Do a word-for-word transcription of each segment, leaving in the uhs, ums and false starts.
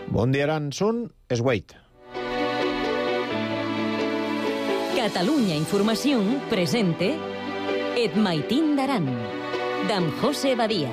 Bon dia, Aran. Són es Wait. Catalunya Informació presente Et Maitín d'Aran, d'en José Badia.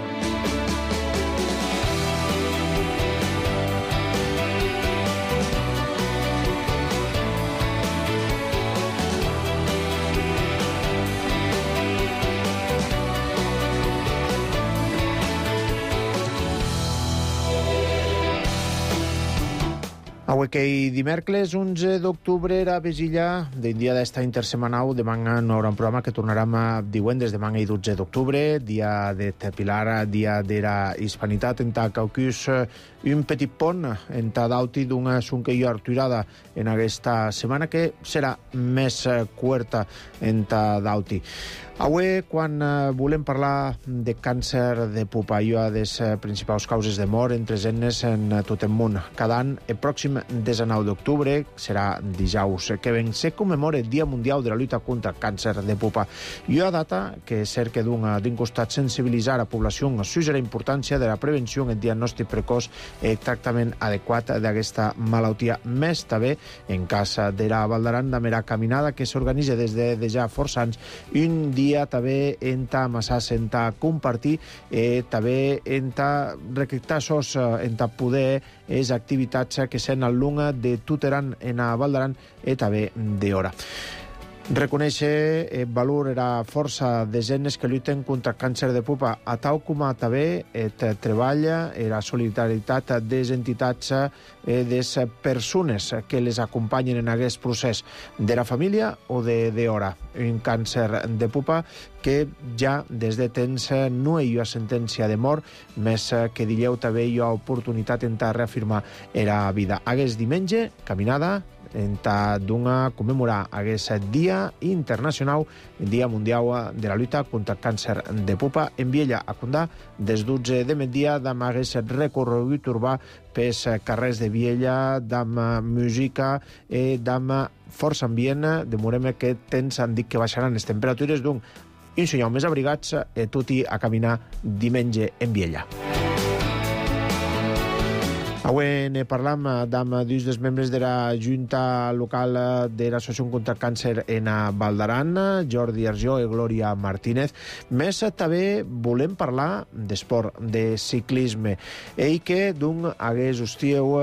Avui que dimecres onze d'octubre era Besilla d'un dia d'esta intersemanau. Demà no haurà un programa que tornarem a divendres, demà i dotze d'octubre, dia de Pilar, dia d'era hispanitat en ta Caucus, un petit pont en ta dauti d'una sunqueia arturada en aquesta setmana que serà més curta en ta dauti. Avui, quan volem parlar de càncer de pupa, i una de les principals causes de mort entre nenes en tot el món. Cada any, el pròxim dinou d'octubre, serà dijous que ven, se commemora el Dia Mundial de la Lluita contra el Càncer de Pupa. I una data que cerca d'un costat sensibilitzar la població sobre la importància de la prevenció, el diagnòstic precoç i el tractament adequat d'aquesta malaltia. Més també, en cas de la Val d'Aran, de mera caminada que s'organitza des de, de ja força anys, un dia també en ta amassar, en ta compartir, eh, també en ta recictar sos, en ta poder és activitats que s'han al lunga de Tuteran en a Val d'Aran i també d'hora. Reconèixer el valor era força de genes que lluiten contra el càncer de pupa, a tal com també el treball i la solidaritat de les entitats i de les persones que les acompanyen en aquest procés, de la família o de d'hora. Un càncer de pupa que ja des de temps no hi ha sentència de mort, més que dieu també hi ha oportunitat en reafirmar la vida. Aquest diumenge, caminada, en ta d'una commemorar aquest Dia Internacional, el Dia Mundial de la Lluita contra el Càncer de Pupa, en Viella a Condà, des dotze de migdia, d'am aquest recorregut urbà pels carrers de Viella, d'am música i d'am força ambient. Demorem que temps han dit que baixaran les temperatures d'un un senyal més abrigats i tutti a caminar diumenge en Viella. Avui ne parlam amb dos dels membres de la Junta Local de l'Associació contra el Càncer en Val d'Aran, Jordi Arjó i Glòria Martínez. Més també volem parlar d'esport, de ciclisme. Ell que d'un hagués hostieu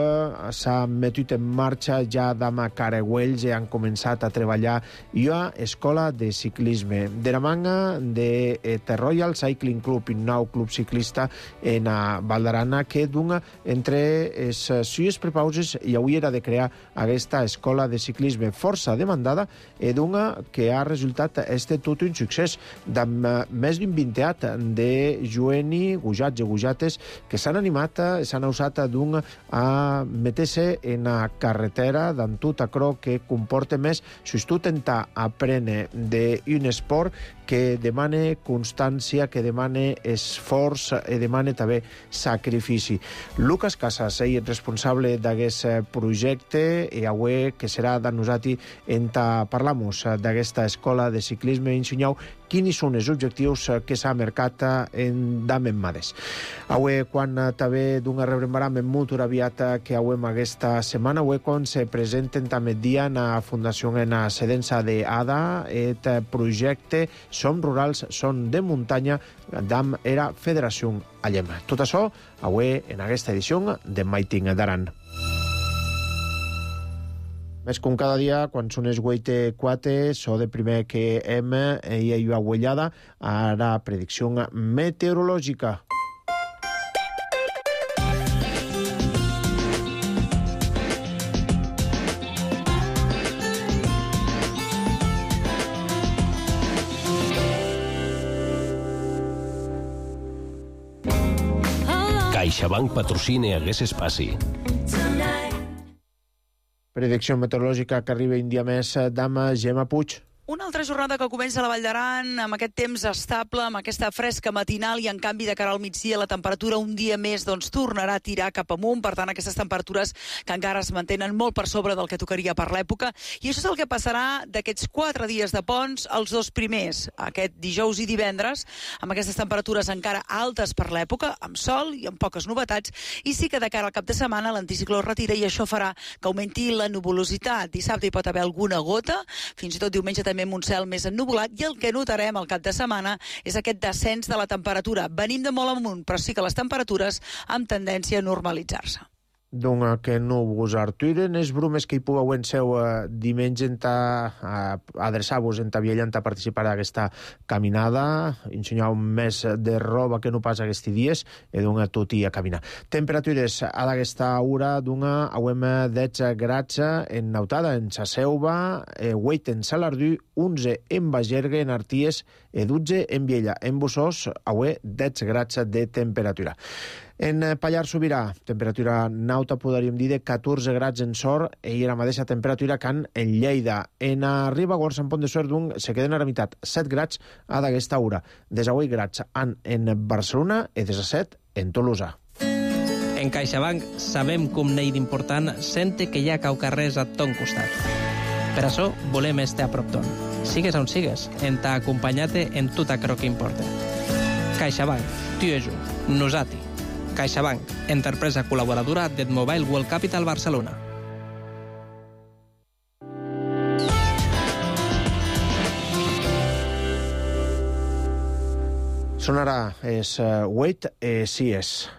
s'ha metut en marxa ja d'ama Caragüells i han començat a treballar i a escola de ciclisme. De la manga de The Royal Cycling Club, un nou club ciclista en Val d'Aran, que d'un entre els sues prepauses i avui era de crear aquesta escola de ciclisme força demandada i d'una que ha resultat este tot un succés d'amb més d'un vinteat de joeni, gujats i gujates que s'han animat, s'han usat d'un a meter-se en la carretera d'en tot acrò que comporta més sustentar aprendre d'un esport que demana constància, que demana esforç i demana també sacrifici. Lucas Casas, ell és responsable d'aquest projecte i avui que serà de nosaltres en ta parlamos d'aquesta escola de ciclisme i ensenyau quins són els objectius que s'ha marcat en Damen Mades. Avui, quan també d'una rebrembaram en molt aviat que avui aquesta setmana, avui quan se presenten també dia en la Fundació en la Sedença d'Ada, el projecte Som Rurals, Som de Muntanya, d'am era Federació Allem. Tot això, avui en aquesta edició de Maitín d'Aran. Més com cada dia, quan són les vuit i quatre, so de primer que hem hi ha una huellada a la predicció meteorològica. CaixaBank patrocina aquest espai. Predicció meteorològica que arriba un dia més d'ama Gemma Puig. Una altra jornada que comença a la Vall d'Aran amb aquest temps estable, amb aquesta fresca matinal i en canvi de cara al migdia la temperatura un dia més doncs, tornarà a tirar cap amunt, per tant aquestes temperatures que encara es mantenen molt per sobre del que tocaria per l'època, i això és el que passarà d'aquests quatre dies de ponts els dos primers, aquest dijous i divendres, amb aquestes temperatures encara altes per l'època, amb sol i amb poques novetats, i sí que de cara al cap de setmana l'anticicló es retira i això farà que augmenti la nuvolositat. Dissabte hi pot haver alguna gota, fins i tot diumenge també amb un cel més ennuvolat, i el que notarem al cap de setmana és aquest descens de la temperatura. Venim de molt amunt, però sí que les temperatures amb tendència a normalitzar-se. Doncs que no vos arturen les brumes que hi pugueu en seu eh, diumenge en ta, adreçar-vos en ta Viella en ta participar d'aquesta caminada, ensenyau més de roba que no pas aquests dies, i doncs tot i a caminar. Temperatures a d'aquesta hora d'una auem dotze grads en Nautada, en Saseuva, eh, vuit en Salardú, onze en Bagergue, en Arties, i dotze en Viella. En Bussós, auem dotze grads de temperatura. En Pallars Sobirà, temperatura nauta, podríem dir, de catorze grads en Sor, i la mateixa temperatura que en Lleida. En Ribagorç, en Pont de Suert, se queden a la meitat, set grads a d'aquesta hora. desavuit grads en, en Barcelona i disset en Tolosa. En CaixaBank sabem com n'hi d'important sente que hi ha caucarrers a ton costat. Per això volem estar a prop ton. Sigues on sigues, en ta acompanyat-te en tot aquello que importa. CaixaBank, tu i jo, nosati. CaixaBank, empresa col·laboradora del Mobile World Capital Barcelona. Sonarà és uh, Wait, eh, sí és.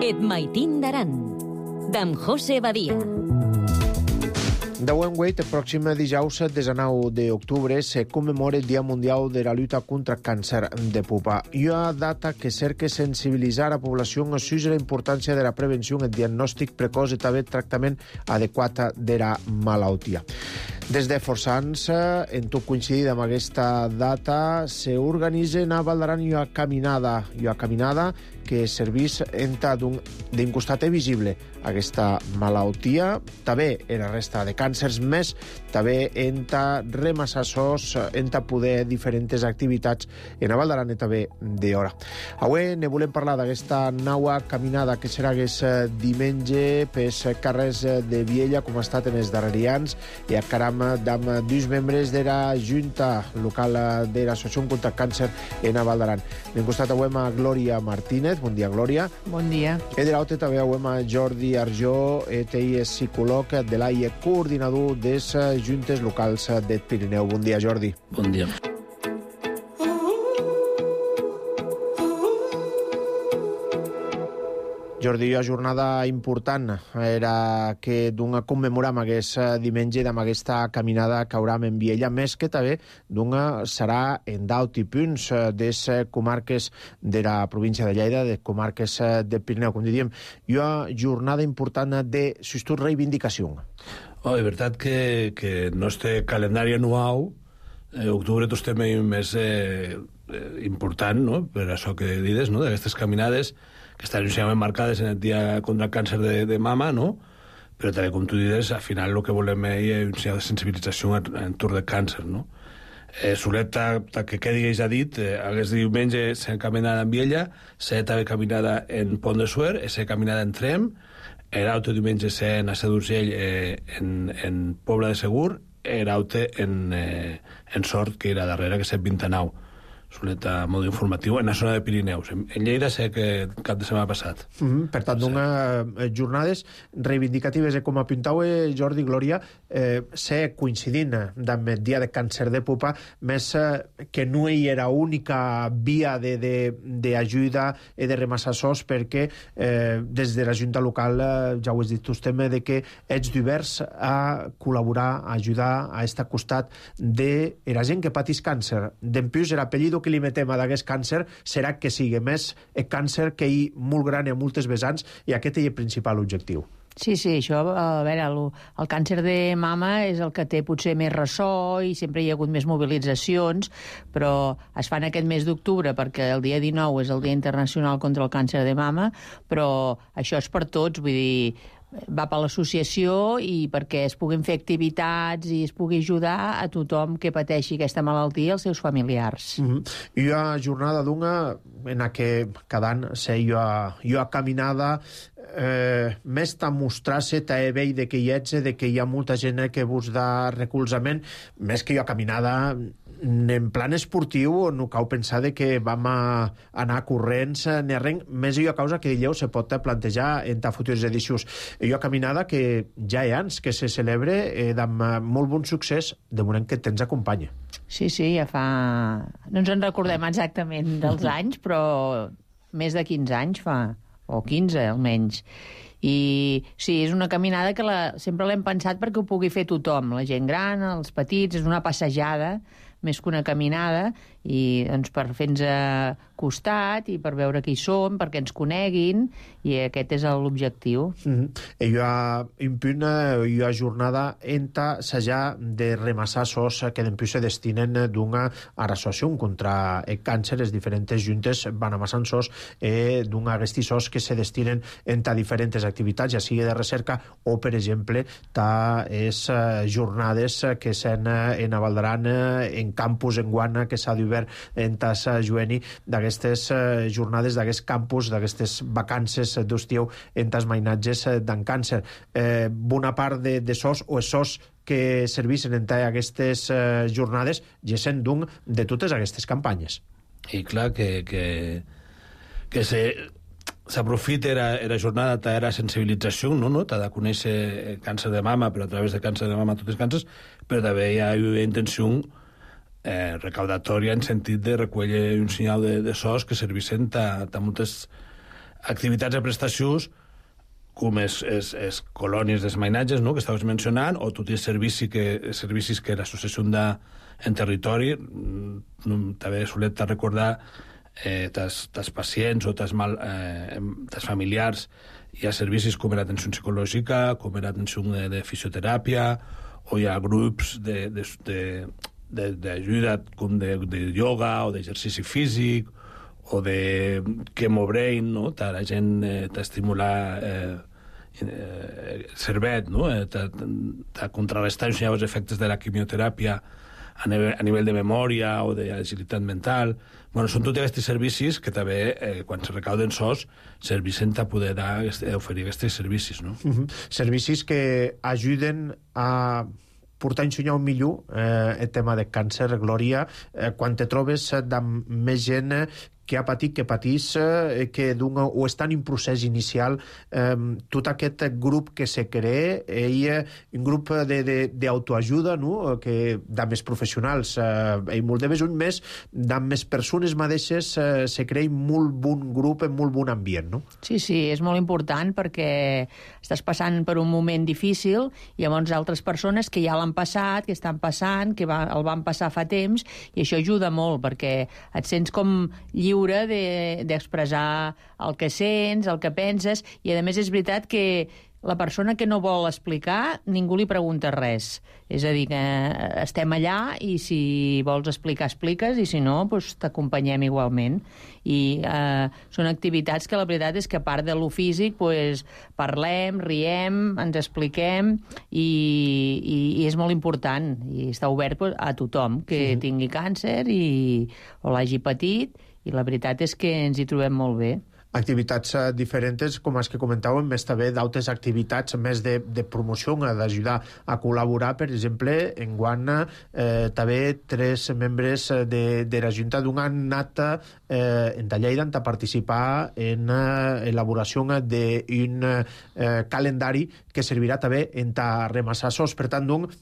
Et Maitín d'Aran, d'en José Badia. Deu en Wait, el pròxim dijous desenou d'octubre se commemora el Dia Mundial de la Lluita contra el Càncer de Pupa. I una data que cerca sensibilitzar la població sobre la importància de la prevenció, el diagnòstic precoç i també el tractament adequat de la malaltia. Des de força anys, en tot coincidit amb aquesta data, s'organitza a Val d'Aran una caminada, una caminada que serveix d'un costat visible aquesta malaltia, també en la resta de càncers, més també en ta remassassos, en ta poder diferents activitats en Val d'Aran i també d'hora. Avui ne volem parlar d'aquesta nova caminada que serà aquest diumenge pels carrers de Viella, com ha estat en els darrers anys, i a caram d'amb dos membres de la Junta Local de l'Associació contra el Càncer en Val d'Aran. N'hem costat avui a Glòria Martínez. Bon dia, Glòria. Bon dia. I de l'altre també avui a Jordi Arjó, ell és psicòleg de l'A I E, coordinador de les Juntes Locals del Pirineu. Bon dia, Jordi. Bon dia. Jordi, una jornada important era que d'una commemoram aquest diumenge amb aquesta caminada que hauram en Viella, més que també d'una serà en d'alti punts de les comarques de la província de Lleida, de comarques del Pirineu, com diríem, i una jornada important de sustur reivindicació. Oh, és veritat que, que el nostre calendari anual, eh, octubre tot estem més eh, important, no?, per això que dides, no?, d'aquestes caminades que estan inicialment marcades en el dia contra el càncer de, de mama, no?, però també, com tu dius, al final el que volem és una sensibilització en, en torn de càncer, no? Eh, Solet, que quedi ja dit, eh, aquest diumenge s'ha caminada en Viella, s'ha també caminada en Pont de Suert, s'ha caminada en Trem, l'altre diumenge s'ha a Sa d'Urgell eh, en, en Pobla de Segur, l'altre en, eh, en Sort, que era darrere, que s'ha vint-i-nou. solet a mode informatiu en la zona de Pirineus. En, en Lleida sé que cap de setmana passat. Mm-hmm. Per tant, sí. Una eh, jornades reivindicatives e com apuntau eh, Jordi Glòria, eh, sé coincidint amb el dia de càncer de pupa, més eh, que no hi era única via d'ajuda i de remassar sos, perquè eh, des de la Junta local, eh, ja ho has dit tu, estem de que ets divers a col·laborar, a ajudar, a estar al costat de la gent que patís càncer. Dempius, l'apellido que li metem a d'aquest càncer serà que sigui més el càncer que hi molt gran i a moltes vessants, i aquest és el principal objectiu. Sí, sí, això, a veure, el, el càncer de mama és el que té potser més ressò i sempre hi ha hagut més mobilitzacions, però es fan aquest mes d'octubre perquè el dia dinou és el Dia Internacional contra el Càncer de Mama, però això és per tots, vull dir, va per l'associació i perquè es puguin fer activitats i es pugui ajudar a tothom que pateixi aquesta malaltia i els seus familiars. Mm-hmm. Hi ha jornada d'una en la que cada any sé jo a, jo a caminada eh, més t'ha mostrar-se t'ha vell de que hi ets, de que hi ha molta gent que vos da recolzament, més que jo a caminada en plan esportiu no cal pensar de que vam a anar corrents ni res, més jo a causa que dilleu se pot plantejar en ta futures edicions. Jo a caminada que ja hi ha anys que se celebre eh, amb molt bon succés de moment que tens acompanya. Sí, sí, ja fa... No ens en recordem exactament dels anys, però més de quinze anys fa, o quinze almenys. I sí, és una caminada que la, sempre l'hem pensat perquè ho pugui fer tothom, la gent gran, els petits, és una passejada més que una caminada, i doncs, per fer-nos costat i per veure qui som, perquè ens coneguin, i aquest és l'objectiu. Mm-hmm. I hi ha impunt, hi ha jornada enta s'haja de remassar sos que dempuix se destinen d'una associació contra el càncer. Les diferents juntes van amassant sos eh, d'una agesti sos que se destinen enta diferents activitats, ja sigui de recerca o, per exemple, ta és eh, jornades que s'han en Avaldaran, en campus en Guana, que s'ha d'obert en Tassa Jueni, d'aquestes eh, jornades, d'aquests campus, d'aquestes vacances d'estiu en tas mainatges d'en càncer. Eh, bona part de, de sos o sos que servissin en aquestes eh, jornades gessen d'un de totes aquestes campanyes. I clar que, que, que se s'aprofita era, era jornada, era sensibilització, no? no? T'ha de conèixer càncer de mama, però a través de càncer de mama tots els càncers, però també hi ha una intenció eh, recaudatòria en sentit de recollir un senyal de, de sos que servissin a, a moltes activitats de prestacions, com és, és, és colònies d'esmainatges, no?, que estaves mencionant, o tots els servicis que, servicis que l'associació da en territori. També solet recordar eh, tas, tas pacients o tas, mal, eh, tas familiars. Hi ha servicis com era atenció psicològica, com era atenció de, de fisioteràpia, o hi ha grups de, de, de, de, d'ajuda com de, de ioga o d'exercici físic, o de Chemo Brain, no? Ta la gent eh, t'estimular eh, eh, cervet, no? Eh, ta contrarrestar els efectes de la quimioteràpia a nivell, a nivell de memòria o d'agilitat mental. Bueno, són tots aquests servicis que també, eh, quan se recauden sos, servissen a poder dar, oferir aquests servicis, no? Uh-huh. Servicis que ajuden a portar a ensenyar un millor eh, el tema de càncer, Glòria, eh, quan te trobes amb més gent que ha patit, que patís, eh, que d'un, o estan en procés inicial, eh, tot aquest grup que se crea, ell, un grup d'autoajuda, no?, que de més professionals, eh, i molt de més un més, de més persones mateixes, eh, se crea molt bon grup, en molt bon ambient, no? Sí, sí, és molt important perquè estàs passant per un moment difícil, i llavors altres persones que ja l'han passat, que estan passant, que va, el van passar fa temps, i això ajuda molt, perquè et sents com lliure d'expressar el que sents, el que penses, i a més és veritat que la persona que no vol explicar, ningú li pregunta res. És a dir, que estem allà i si vols explicar, expliques, i si no, doncs t'acompanyem igualment. I eh, són activitats que la veritat és que a part de lo físic, doncs, parlem, riem, ens expliquem, i, i, i és molt important. I està obert doncs, a tothom que sí. tingui càncer i, o l'hagi patit, i la veritat és que ens hi trobem molt bé. Activitats uh, diferents, com els que comentàvem, més també d'altres activitats més de, de promoció, d'ajudar a col·laborar, per exemple, en guany eh, també tres membres de, de la Junta d'un han anat eh, en Lleida a participar en eh, elaboració d'un eh, calendari que servirà també en ta remassar sos. Per tant, doncs,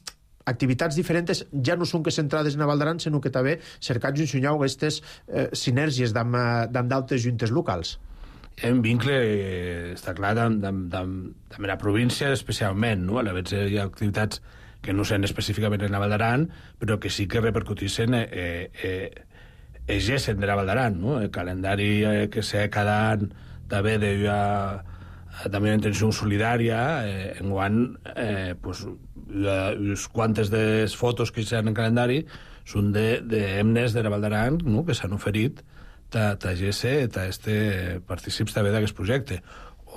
activitats diferents ja no són que centrades en Val d'Aran, sinó que també cercats d'ensenyar aquestes eh, sinergies amb d'altres juntes locals. Hi ha un vincle, eh, està clar, amb la província especialment, no? A la vegada hi ha activitats que no són específicament en la Val d'Aran, però que sí que repercutissen eh, eh, egessen de la Val d'Aran, no? El calendari eh, que sé cada any també de ha, també una intenció solidària, eh, en guany eh, pues, les quantes de fotos que hi ha en el calendari són d'hemnes de, de la Val d'Aran, no? Que s'han oferit ta, ta G S, ta este partícips també d'aquest projecte.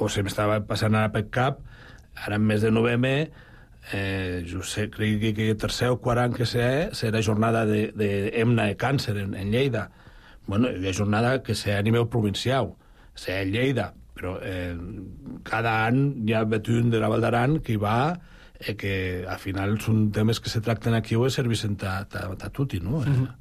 O se m'estava passant ara per cap, ara en mes de novembre, eh, jo sé, crec que el tercer o quart any que sé, serà jornada de, de hemna de càncer en, en Lleida. Bueno, hi ha jornada que sé a nivell provincial, sé a Lleida, però eh, cada any hi ha un de la Val d'Aran que hi va, eh, que al final són temes que se tracten aquí o serveixen a tutti, no? Mm-hmm.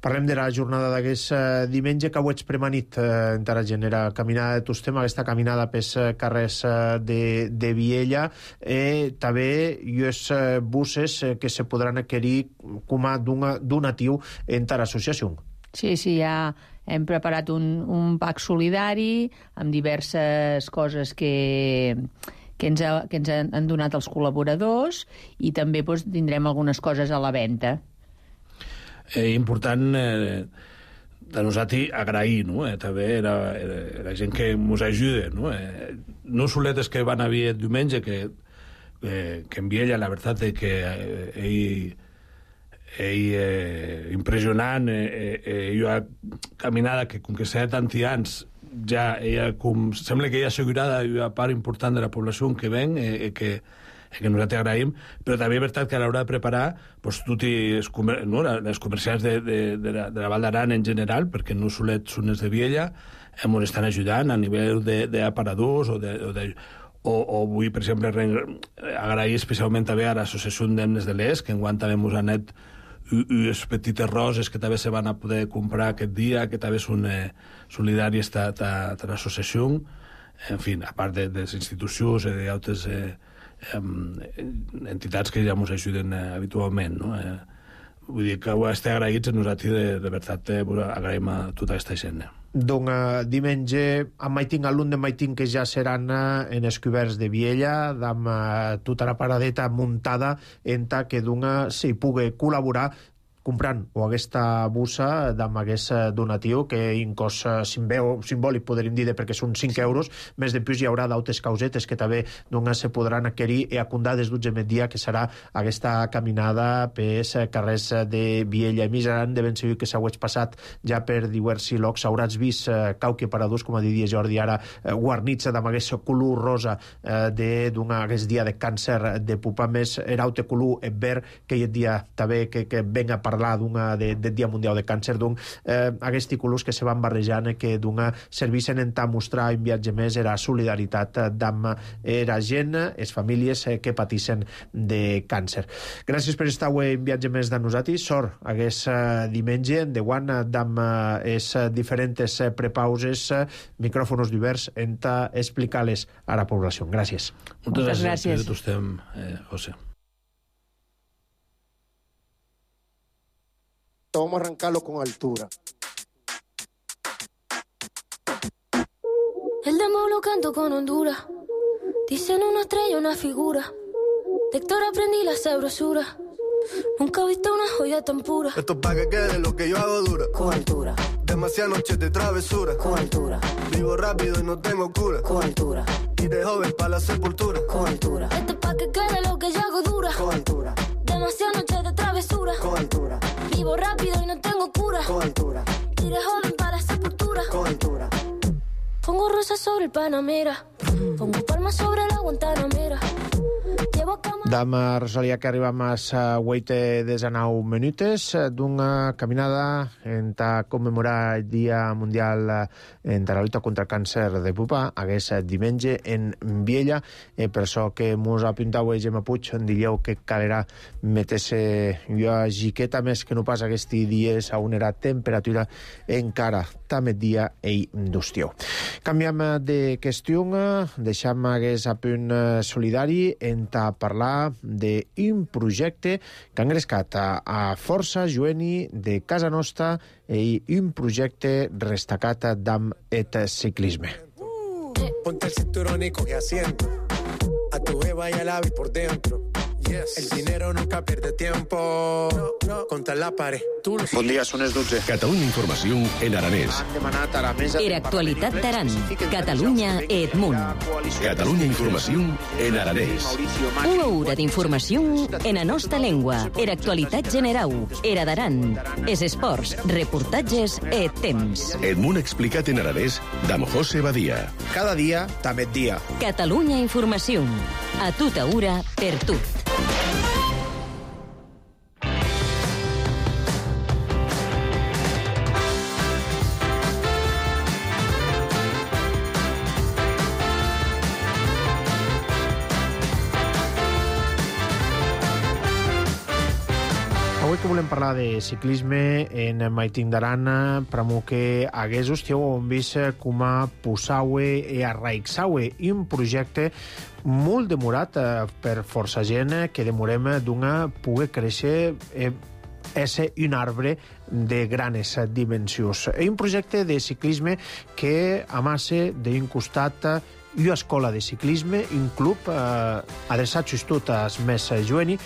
Parlem de la jornada d'aquest eh, diumenge, que ho ets premanit eh, en la genera caminada de Tostem, aquesta caminada pels eh, carrers eh, de, de Viella, eh, també hi ha eh, buses eh, que se podran adquirir com a donatiu en l'associació. Sí, sí, ja hem preparat un, un pack solidari amb diverses coses que... que ens, ha, que ens han donat els col·laboradors, i també doncs, tindrem algunes coses a la venda. Eh, important eh, de nosaltres agrair, no? Eh, també la, la gent que ens ajuda, no? Eh, no soletes que van a vir el diumenge, que, eh, que en Viella la veritat és que eh, ell, ell eh, impressionant, eh, eh, ell ha caminada que com que sé tanti anys ja ella com, sembla que ella assegurada una part important de la població que ven, eh, que que nosaltres agraïm, però també és veritat que a l'hora de preparar pues, tots els comer no, les comerciants de, de, de, la, de la Val d'Aran en general, perquè no solets són els de Viella, ens estan ajudant a nivell d'aparadors o, de, o, de, o, o vull, per exemple, agrair especialment també a l'associació d'Hemnes de l'Est, que enguany també ens han anat unes petites roses que també se van a poder comprar aquest dia, que també són eh, solidàries de l'associació, en fi, a part de, de les institucions i d'altres eh, entitats que ja ens ajuden eh, habitualment, no? Eh, vull dir que ho estem agraïts a nosaltres, de, de veritat eh, agraïm a tota aquesta gent. Eh. Doncs eh, diumenge a Maitín, alumne de Maitín que ja seran eh, en els coberts de Viella, amb eh, tota la paradeta muntada en ta que d'una s'hi pugui col·laborar comprant o aquesta bussa amb aquest donatiu, que en cost simbòlic, podríem dir, perquè són cinc euros, més de plus hi haurà d'altres causetes que també doncs, se podran adquirir i acundar des d'utge dia, que serà aquesta caminada pels carrers de Viella. I misaran de ben segur que s'hauets passat ja per diversos llocs, hauràs vist eh, cauque paradors, com a diria Jordi ara, eh, guarnits amb aquest color rosa eh, d'un aquest dia de càncer de pupa, més eraute color verd, que hi ha dia també que, que venga a parlar parlar de, de Dia Mundial de Càncer, doncs eh, aquests colors que se van barrejant, que serveixen en tant mostrar un viatge més la solidaritat amb la gent, les famílies que pateixen de càncer. Gràcies per estar avui en viatge més de nosaltres. Sort aquest diumenge, de guant, amb les diferents prepauses, micròfonos diversos, en explicar-les a la població. Gràcies. Moltes gràcies. Moltes gràcies. Eh, José. Vamos a arrancarlo con altura. El demo lo canto con Honduras. Dicen una estrella, una figura. De Héctor aprendí la sabrosura. Nunca he visto una joya tan pura. Esto es pa' que quede lo que yo hago dura. Con altura. Demasiadas noches de travesura. Con altura. Vivo rápido y no tengo cura. Con altura. Y de joven pa' la sepultura. Con altura. Esto es pa' que quede lo que yo hago dura. Con altura. Demasiadas noches de travesura. Con altura. Vivo rápido y no tengo cura. Con altura. Y de joven para la sepultura. Con altura. Pongo rosas sobre el Panamera. Pongo palmas sobre la Guantanamera. Llevo Dama Rosalia, que arribam a sa vuit desenau minutes d'una caminada en ta commemorar el Dia Mundial en la lluita contra el càncer de pupa, hagués diumenge en Viella. E per això que mos apuntau a Gemma Puig, en dieu que calera meter-se una giqueta més que no pas aquests dies a una temperatura encara també dia i d'hostiu. Canviem de qüestió, deixam hagués a punt solidari en ta parlar d'un projecte que ha engrescat a, a força jueni de casa nostra i un projecte destacat d'am et ciclisme. Ponte el cinturón y coge asiento. A tu jeva y al ave por dentro. Yes. El dinero nunca pierde tiempo. No, no. Contra la pared. Bon dia, són les dotze. Catalunya Informació en aranès. Han demanat a la mesa... Era actualitat d'Aran. Catalunya Edmunt. Catalunya Informació en aranès. Una hora d'informació en la nostra llengua. Era actualitat generau. Era d'Aran. Es esports, reportatges e temps. Edmunt explicat en aranès d'am José Badia. Cada dia, també dia. Catalunya Informació. A tota hora, per tu. Avui que volem parlar de ciclisme en Maitin d'Arana, pramo que hagués hostiau on vist com a posaue e arraixaue un projecte molt demorat per força gent que demorem d'una poder créixer e ésser un arbre de granes dimensions. És un projecte de ciclisme que amassa d'un costat una escola de ciclisme, un club eh, adreçat tot als més jueni,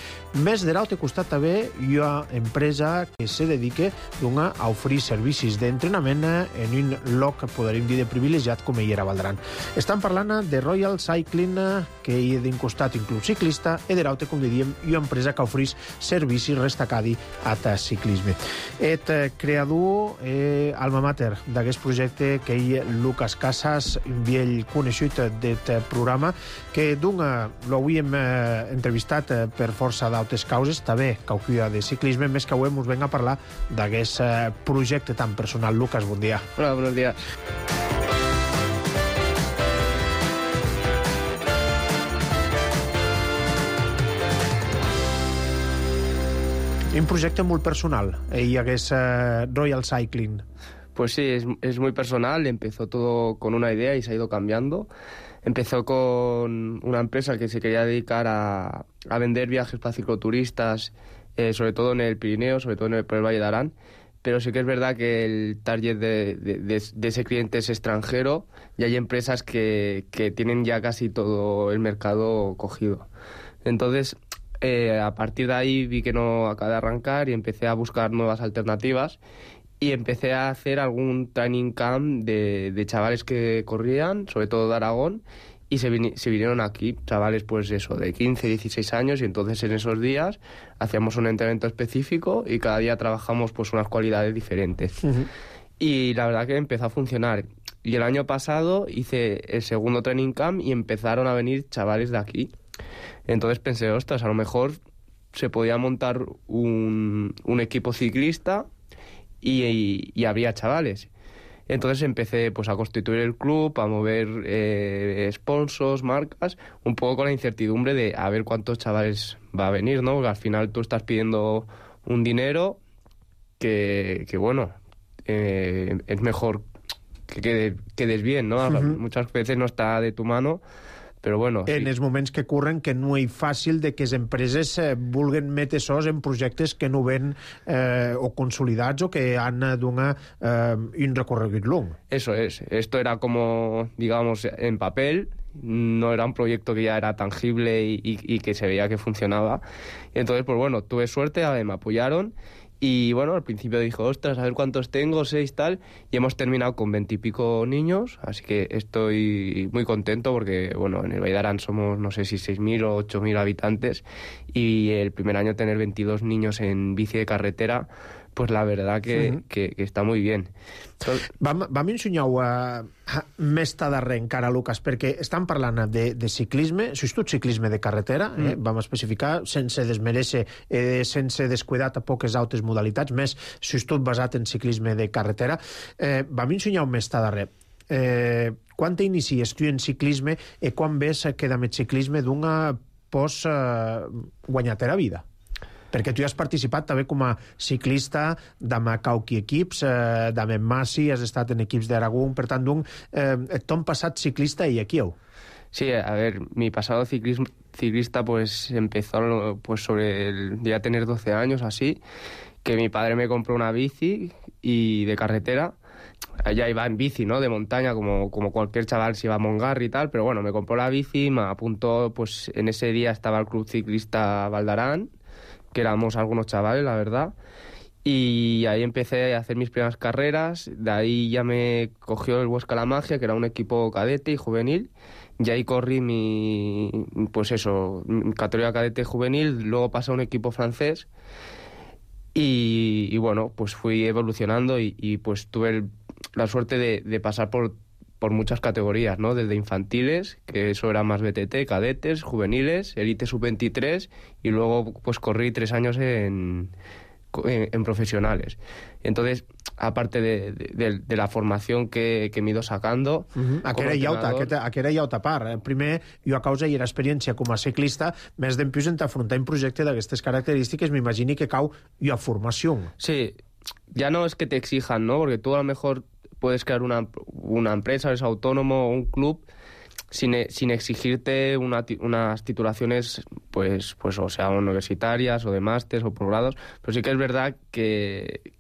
més de l'altre costat també una empresa que se dedica a oferir servicis d'entrenament en un lloc, podríem dir, de privilegiat com hi era Valdran. Estan parlant de Royal Cycling, que hi ha d'un costat un club ciclista, i de l'altre, com diríem, una empresa que ofereix servicis restacadi a ciclisme. Et creador, eh, alma mater d'aquest projecte, que hi Lucas Casas, un vell coneixut d'aquest programa, que d'una l'havíem eh, entrevistat eh, per força d'altres causes, també caucuia de ciclisme, més que avui ens venga a parlar d'aquest eh, projecte tan personal. Lucas, bon dia. Hola, buenos días. Un projecte molt personal, i hagués eh, Royal Cycling. Pues sí, es, es muy personal. Empezó todo con una idea y se ha ido cambiando. Empezó con una empresa que se quería dedicar a, a vender viajes para cicloturistas, eh, sobre todo en el Pirineo, sobre todo en el, por el Valle de Arán. Pero sí que es verdad que el target de, de, de, de ese cliente es extranjero y hay empresas que, que tienen ya casi todo el mercado cogido. Entonces, eh, a partir de ahí vi que no acabé de arrancar y empecé a buscar nuevas alternativas. Y empecé a hacer algún training camp de, de chavales que corrían, sobre todo de Aragón, y se, vin, se vinieron aquí, chavales pues eso, de quince, dieciséis años, y entonces en esos días hacíamos un entrenamiento específico y cada día trabajamos pues unas cualidades diferentes. Uh-huh. Y la verdad que empezó a funcionar. Y el año pasado hice el segundo training camp y empezaron a venir chavales de aquí. Entonces pensé, ostras, a lo mejor se podía montar un, un equipo ciclista Y, y, y había chavales. Entonces empecé pues a constituir el club, a mover eh, sponsors, marcas, un poco con la incertidumbre de a ver cuántos chavales va a venir, ¿no? Porque al final tú estás pidiendo un dinero que, que bueno, eh, es mejor que quede, quedes bien, ¿no? Uh-huh. Muchas veces no está de tu mano. Però bueno, en sí. els moments que corren, que no és fàcil de que les empreses eh, vulguen metre sos en projectes que no ven eh, o consolidats o que han donar eh, un recorregut long. Eso es. Esto era como, digamos, en papel. No era un proyecto que ya era tangible y, y, y que se veía que funcionaba. Y entonces, pues bueno, tuve suerte, a ver, me apoyaron. Y bueno, al principio dijo, ostras, a ver cuántos tengo, seis, tal, y hemos terminado con veintipico niños, así que estoy muy contento porque, bueno, en el Valle de Arán somos, no sé si seis mil o ocho mil habitantes, y el primer año tener veintidós niños en bici de carretera, pues la verdad que, uh-huh. que, que està molt bé. Vam, vam ensenyar-ho uh, més darrer encara, Lucas, perquè estan parlant de, de ciclisme, tot ciclisme de carretera, eh? mm. vam especificar, sense desmereixer, eh, sense descuidar a poques altres modalitats, més tot basat en ciclisme de carretera. Eh, vam ensenyar-ho més darrer. Eh, quan t'inicies tu en ciclisme i quan ves que amb el ciclisme d'una pots eh, guanyar-te la vida? Perquè tu has participat també com a ciclista d'ama cauqui equips, eh, d'ama Massi, has estat en equips d'Aragón, per tant, d'un, eh, ton passat ciclista y aquí heu. Sí, a ver, mi pasado ciclismo, ciclista pues empezó pues sobre el, ya tener doce años así, que mi padre me compró una bici y de carretera. Allá iba en bici, ¿no? De montaña, como, como cualquier chaval si iba a Mongarri y tal, pero bueno, me compró la bici, me apuntó, pues en ese día estaba el club ciclista Valdarán, que éramos algunos chavales, la verdad, y ahí empecé a hacer mis primeras carreras. De ahí ya me cogió el Huesca La Magia, que era un equipo cadete y juvenil, y ahí corrí mi, pues eso, mi categoría cadete y juvenil. Luego pasé a un equipo francés y, y bueno, pues fui evolucionando y, y pues tuve el, la suerte de, de pasar por por muchas categorías, ¿no? Desde infantiles, que eso era más B T T, cadetes, juveniles, elite sub veintitrés, y luego pues corrí tres años en, en, en profesionales. Entonces, aparte de, de, de la formación que, que me he ido sacando... Uh-huh. A què era llauta, a què era llauta part. Primer, jo a causa i era experiència com a ciclista, més d'empius en t'afrontar un projecte d'aquestes característiques, m'imagini que cau jo a formació. Sí, ya no es que te exijan, ¿no? Porque tú a lo mejor puedes crear una, una empresa, eres autónomo o un club sin, sin exigirte una, unas titulaciones, pues, pues o sea, universitarias o de másteres o posgrados, pero sí que es verdad que,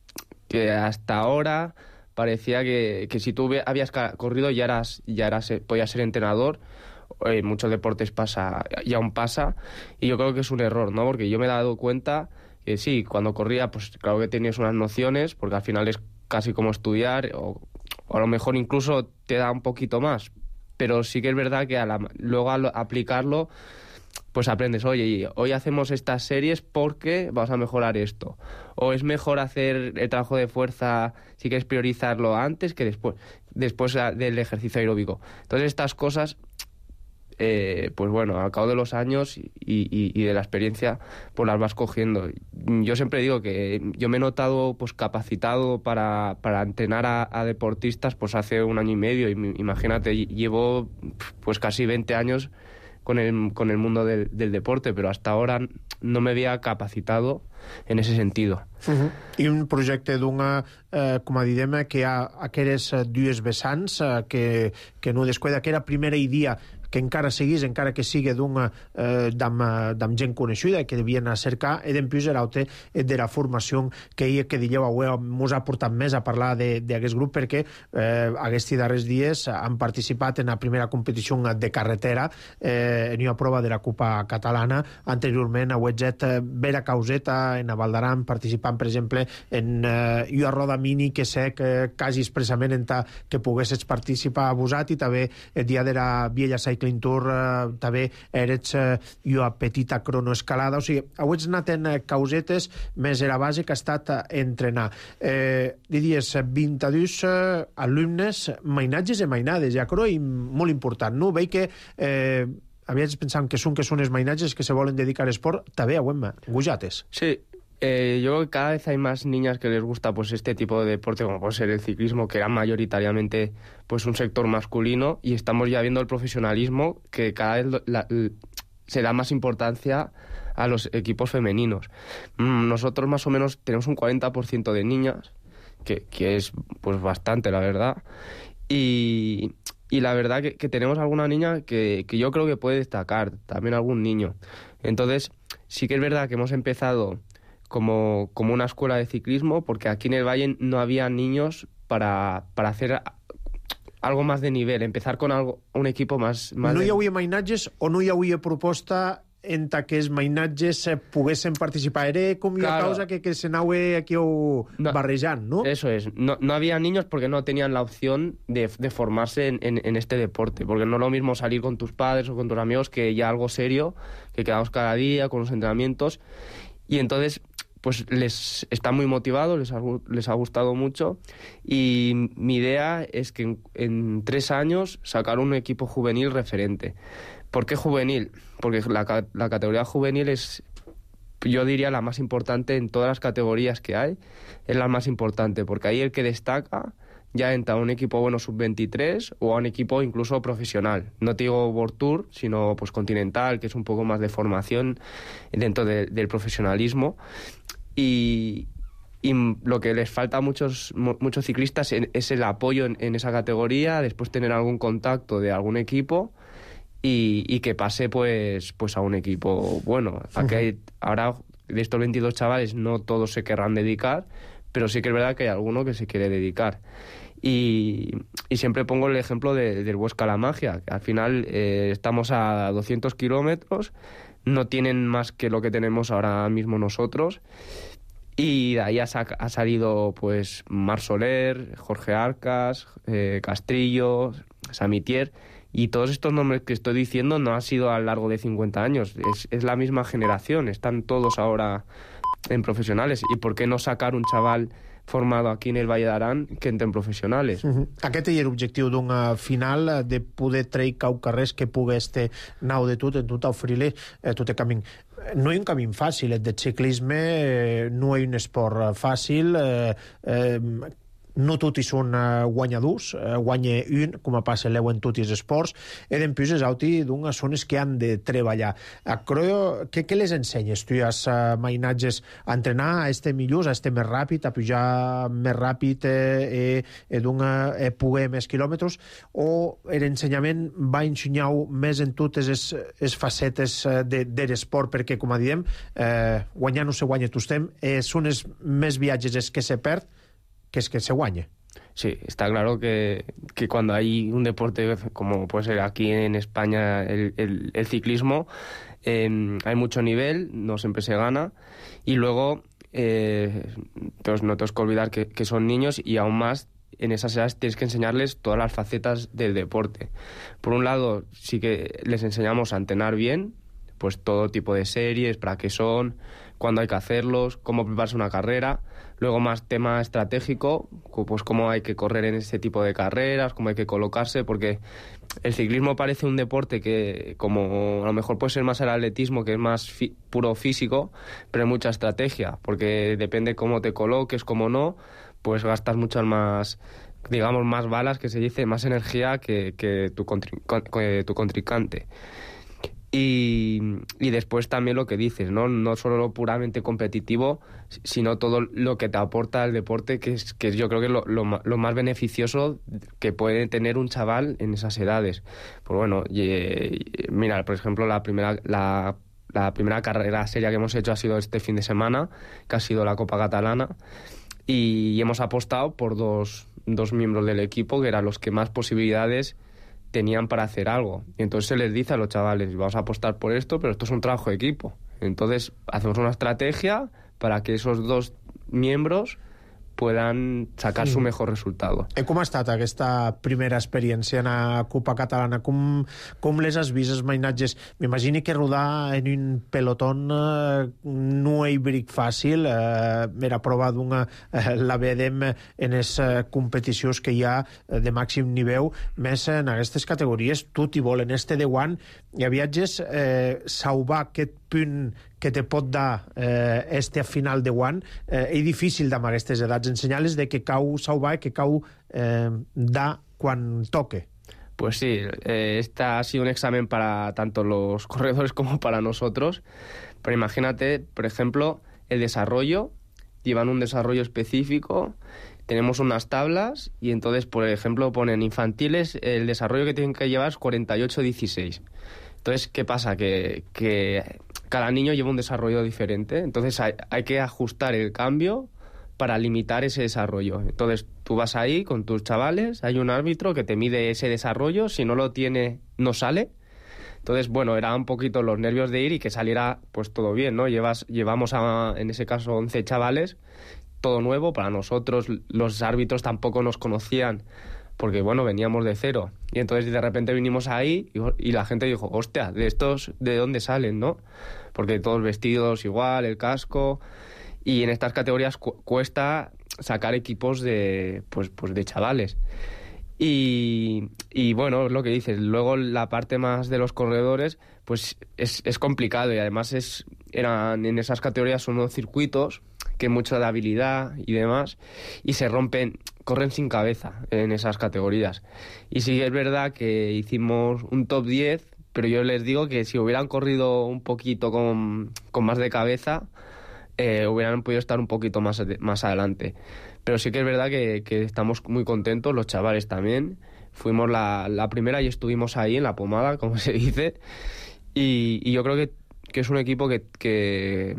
que hasta ahora parecía que, que si tú habías corrido ya eras, ya eras, podías ser entrenador. En muchos deportes pasa, y aún pasa, y yo creo que es un error, ¿no? Porque yo me he dado cuenta que sí, cuando corría, pues claro que tenías unas nociones, porque al final es casi como estudiar, o, o a lo mejor incluso te da un poquito más, pero sí que es verdad que a la, luego al aplicarlo, pues aprendes, oye, hoy hacemos estas series porque vamos a mejorar esto, o es mejor hacer el trabajo de fuerza, si quieres priorizarlo antes que después, después del ejercicio aeróbico. Entonces estas cosas... Eh, pues bueno, al cabo de los años y, y, y de la experiencia, pues las vas cogiendo. Yo siempre digo que yo me he notado pues capacitado para, para entrenar a, a deportistas pues hace un año y medio, y imagínate, llevo pues casi veinte años con el, con el mundo del, del deporte, pero hasta ahora no me había capacitado en ese sentido. Uh-huh. I un projecte d'una, eh, com a diguem, que hi ha aquelles dues vessants eh, que, que no descuida, que era primera idea que encara seguís, encara que sigui d'una eh, d'am gent coneixida que devien a cercar, i d'empius era altre de la formació que hi que digueu avui mos ha portat més a parlar d'aquest grup, perquè eh, aquests darrers dies han participat en la primera competició de carretera eh, en una prova de la Copa Catalana. Anteriorment a Huetzet, Vera Causeta en a Valdaran, participant per exemple en eh, una roda mini que sé que quasi expressament en ta que poguessis participar abusat, i també el dia de la Viella Cycling Tour eh, també eres eh, una petita cronoescalada, o sigui, heu anat en causetes, més era base que ha estat entrenar. Eh, diries vint-i-dos eh, alumnes, mainatges i mainades, ja crec, i molt important, no? Veig que eh, havies pensat que són que són els mainatges que se volen dedicar a l'esport, també a Huemma, gujates. Sí. Eh, yo creo que cada vez hay más niñas que les gusta pues este tipo de deporte, como puede ser el ciclismo, que era mayoritariamente pues un sector masculino, y estamos ya viendo el profesionalismo, que cada vez la, la, se da más importancia a los equipos femeninos. Nosotros más o menos tenemos un cuarenta por ciento de niñas, que, que es pues bastante, la verdad, y, y la verdad que, que tenemos alguna niña que, que yo creo que puede destacar, también algún niño. Entonces sí que es verdad que hemos empezado Como, como una escuela de ciclismo, porque aquí en el Valle no había niños para, para hacer algo más de nivel, empezar con algo, un equipo más... más no de... hi havia mainatges o no hi havia proposta en que els mainatges poguessin participar? Era com una claro. causa que, que se anava aquí no, barrejant, ¿no? Eso es, no, no había niños porque no tenían la opción de, de formarse en, en, en este deporte, porque no es lo mismo salir con tus padres o con tus amigos que ya algo serio, que quedamos cada día con los entrenamientos. Y entonces, pues les están muy motivados, les ha, les ha gustado mucho, y mi idea es que en, en tres años sacar un equipo juvenil referente. ¿Por qué juvenil? Porque la, la categoría juvenil es, yo diría, la más importante en todas las categorías que hay, es la más importante, porque ahí el que destaca ya entra a un equipo bueno sub veintitrés o a un equipo incluso profesional. No te digo World Tour, sino pues continental, que es un poco más de formación dentro de, del profesionalismo. Y, y lo que les falta a muchos, muchos ciclistas es el apoyo en, en esa categoría, después tener algún contacto de algún equipo y, y que pase pues, pues a un equipo bueno. Aquí hay, ahora de estos veintidós chavales no todos se querrán dedicar, pero sí que es verdad que hay alguno que se quiere dedicar. Y, y siempre pongo el ejemplo de, del Huesca La Magia, que al final eh, estamos a doscientos kilómetros, no tienen más que lo que tenemos ahora mismo nosotros, y de ahí ha, sa- ha salido pues Mar Soler, Jorge Arcas, eh, Castrillo, Samitier, y todos estos nombres que estoy diciendo no han sido a lo largo de cincuenta años, es, es la misma generación, están todos ahora en profesionales. ¿Y por qué no sacar un chaval formado aquí en el Valle d'Aran que entre en professionals? Uh-huh. Aquest és l'objectiu d'una final, de poder treure cau carrers que pugui este nau de tot, en tot oferir-li eh, tot el camí. No hi ha un camí fàcil, el de ciclisme eh, no hi ha un esport fàcil, eh, eh, no tots són uh, guanyadors, uh, guanya un, com a passa l'eu en tots els esports, i després és auti d'unes zones que han de treballar. A Croio, què, què les ensenyes? Tu has uh, mainatges a entrenar, a estar millors, a estar més ràpid, a pujar més ràpid eh, eh, d'una eh, poder més quilòmetres, o l'ensenyament va ensenyar més en totes les, les facetes de, de l'esport, perquè, com a diem, eh, guanyar no se guanya tot temps, eh, són els més viatges els que se perd, que es que se guañe. Sí, está claro que, que cuando hay un deporte como puede ser aquí en España el, el, el ciclismo, eh, hay mucho nivel, no siempre se gana, y luego eh, pues no tenemos que olvidar que, que son niños, y aún más en esas edades tienes que enseñarles todas las facetas del deporte. Por un lado, sí que les enseñamos a entrenar bien, pues todo tipo de series, para qué son, cuándo hay que hacerlos, cómo prepararse una carrera. Luego más tema estratégico, pues cómo hay que correr en ese tipo de carreras, cómo hay que colocarse, porque el ciclismo parece un deporte que, como a lo mejor puede ser más el atletismo, que es más fi- puro físico, pero hay mucha estrategia, porque depende cómo te coloques, cómo no, pues gastas muchas más, digamos, más balas, que se dice, más energía que, que tu, contri- que tu contrincante. Y, y después también lo que dices, ¿no? No solo lo puramente competitivo, sino todo lo que te aporta el deporte, que es, que yo creo que es lo, lo, lo más beneficioso que puede tener un chaval en esas edades. Pues bueno, y, y, mira, por ejemplo, la primera, la, la primera carrera seria que hemos hecho ha sido este fin de semana, que ha sido la Copa Catalana, y, y hemos apostado por dos, dos miembros del equipo, que eran los que más posibilidades tenían para hacer algo. Y entonces se les dice a los chavales, vamos a apostar por esto, pero esto es un trabajo de equipo. Entonces hacemos una estrategia para que esos dos miembros puedan sacar mm. su mejor resultado. I com ha estat aquesta primera experiència en la Copa Catalana? Com, com les has vist, els mainatges? M'imagino que rodar en un pelotón eh, no és bric fàcil. Eh, era prova d'una... Eh, la vedem en les eh, competicions que hi ha eh, de màxim nivell, més en aquestes categories, tot i vol en este de guant, hi ha viatges eh, salvar aquest punt que te pot dar eh, este final de guant, eh, és difícil amb aquestes edats, ensenyar-les de que cau salvar i que cau eh, da quan toque. Pues sí, eh, este ha sido un examen para tanto los corredores como para nosotros, pero imagínate, por ejemplo, el desarrollo, llevan un desarrollo específico, tenemos unas tablas y entonces, por ejemplo, ponen infantiles, el desarrollo que tienen que llevar es cuarenta y ocho dieciséis. Entonces, ¿qué pasa? Que, que cada niño lleva un desarrollo diferente, entonces hay, hay que ajustar el cambio para limitar ese desarrollo. Entonces, tú vas ahí con tus chavales, hay un árbitro que te mide ese desarrollo, si no lo tiene, no sale. Entonces, bueno, era un poquito los nervios de ir y que saliera pues todo bien, ¿no? Llevas, llevamos a, en ese caso, once chavales, todo nuevo para nosotros, los árbitros tampoco nos conocían, porque, bueno, veníamos de cero. Y entonces de repente vinimos ahí y, y la gente dijo, hostia, ¿de estos de dónde salen, no? Porque todos vestidos igual, el casco. y en estas categorías cu- cuesta sacar equipos de, pues, pues de chavales. Y, y bueno, es lo que dices. Luego la parte más de los corredores, pues es, es complicado, y además es eran en esas categorías son unos circuitos que mucho de habilidad y demás, y se rompen, corren sin cabeza en esas categorías. Y sí es verdad que hicimos un top diez, pero yo les digo que si hubieran corrido un poquito con, con más de cabeza, eh, hubieran podido estar un poquito más, más adelante. Pero sí que es verdad que, que estamos muy contentos, los chavales también. Fuimos la, la primera y estuvimos ahí en la pomada, como se dice. Y, y yo creo que, que es un equipo que, que,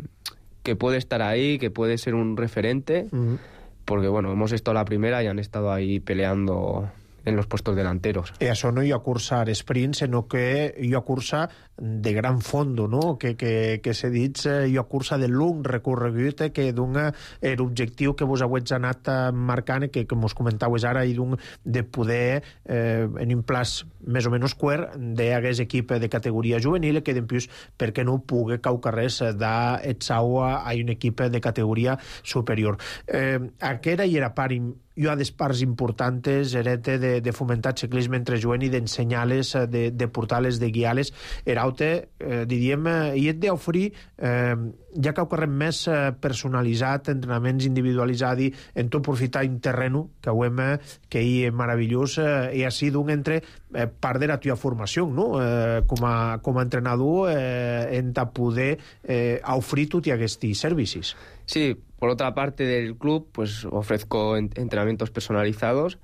que puede estar ahí, que puede ser un referente. Uh-huh. Porque, bueno, hemos estado la primera y han estado ahí peleando en los puestos delanteros. E això no hi ha cursa sprint, sinó que hi ha cursa de gran fondo, no? Que, que, que se dit, hi ha cursa de long recorregut, que dona l'objectiu que vos hauets anat marcant, que, que mos comentaues ara, i d'un de poder, eh, en un plaç més o menys quart, d'hagués equip de categoria juvenil, que d'empius, perquè no pugui caucarres d'Etsau a un equip de categoria superior. Eh, aquesta hi era part hi ha des parts importants, Erete, de, de fomentar el ciclisme entre jovent i d'ensenyar-les, de, de portar-les, de guiar-les. Eraute, eh, diríem, eh, i et d'oferir, eh, ja que ho correm més eh, personalitzat, entrenaments individualitzats, en tot aprofitar un terreno que ho hem, eh, que hi és meravellós, eh, i així d'un entre eh, part de la teva formació, no? Eh, com, a, com a entrenador, eh, en ta poder eh, oferir tots aquests servicis. Sí, por otra parte del club, pues ofrezco entrenamientos personalizados.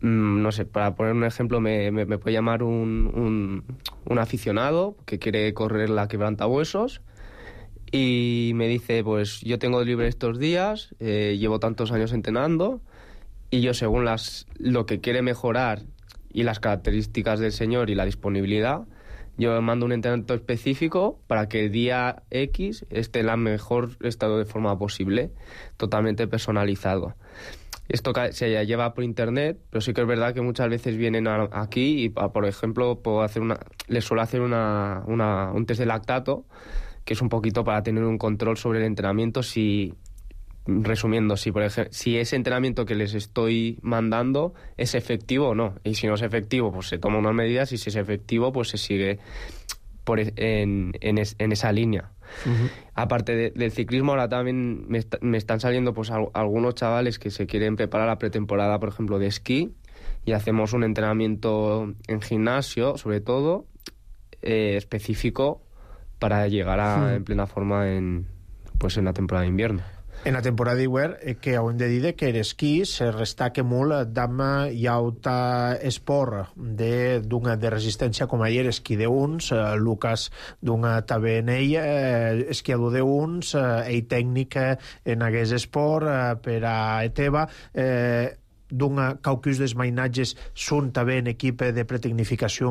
Mm, no sé, para poner un ejemplo, me, me, me puede llamar un, un, un aficionado que quiere correr la quebrantahuesos y me dice, pues yo tengo libre estos días, eh, llevo tantos años entrenando, y yo, según las, lo que quiere mejorar y las características del señor y la disponibilidad, yo mando un entrenamiento específico para que el día X esté en el mejor estado de forma posible, totalmente personalizado. Esto se lleva por internet, pero sí que es verdad que muchas veces vienen a, aquí y, por ejemplo, puedo hacer una, les suelo hacer una, una, un test de lactato, que es un poquito para tener un control sobre el entrenamiento. Si, resumiendo, si, por ejemplo, si ese entrenamiento que les estoy mandando es efectivo o no. Y si no es efectivo, pues se toma unas medidas, y si es efectivo, pues se sigue por en, en, es, en esa línea. Uh-huh. Aparte de, del ciclismo, ahora también me, está, me están saliendo pues al, algunos chavales que se quieren preparar la pretemporada, por ejemplo, de esquí, y hacemos un entrenamiento en gimnasio, sobre todo, eh, específico para llegar a, uh-huh. en plena forma en, pues en la temporada de invierno. En la temporada d'hivern, eh, que hem de dir que l'esquí se restaca molt d'ama i alta esport de, d'una de resistència com ahir, esquí d'uns, eh, Lucas d'una també en ell, eh, esquiador d'uns, eh, ell tècnic en aquest esport, eh, per a Eteva, eh, d'un caucus dels mainatges són també en equip de pretecnificació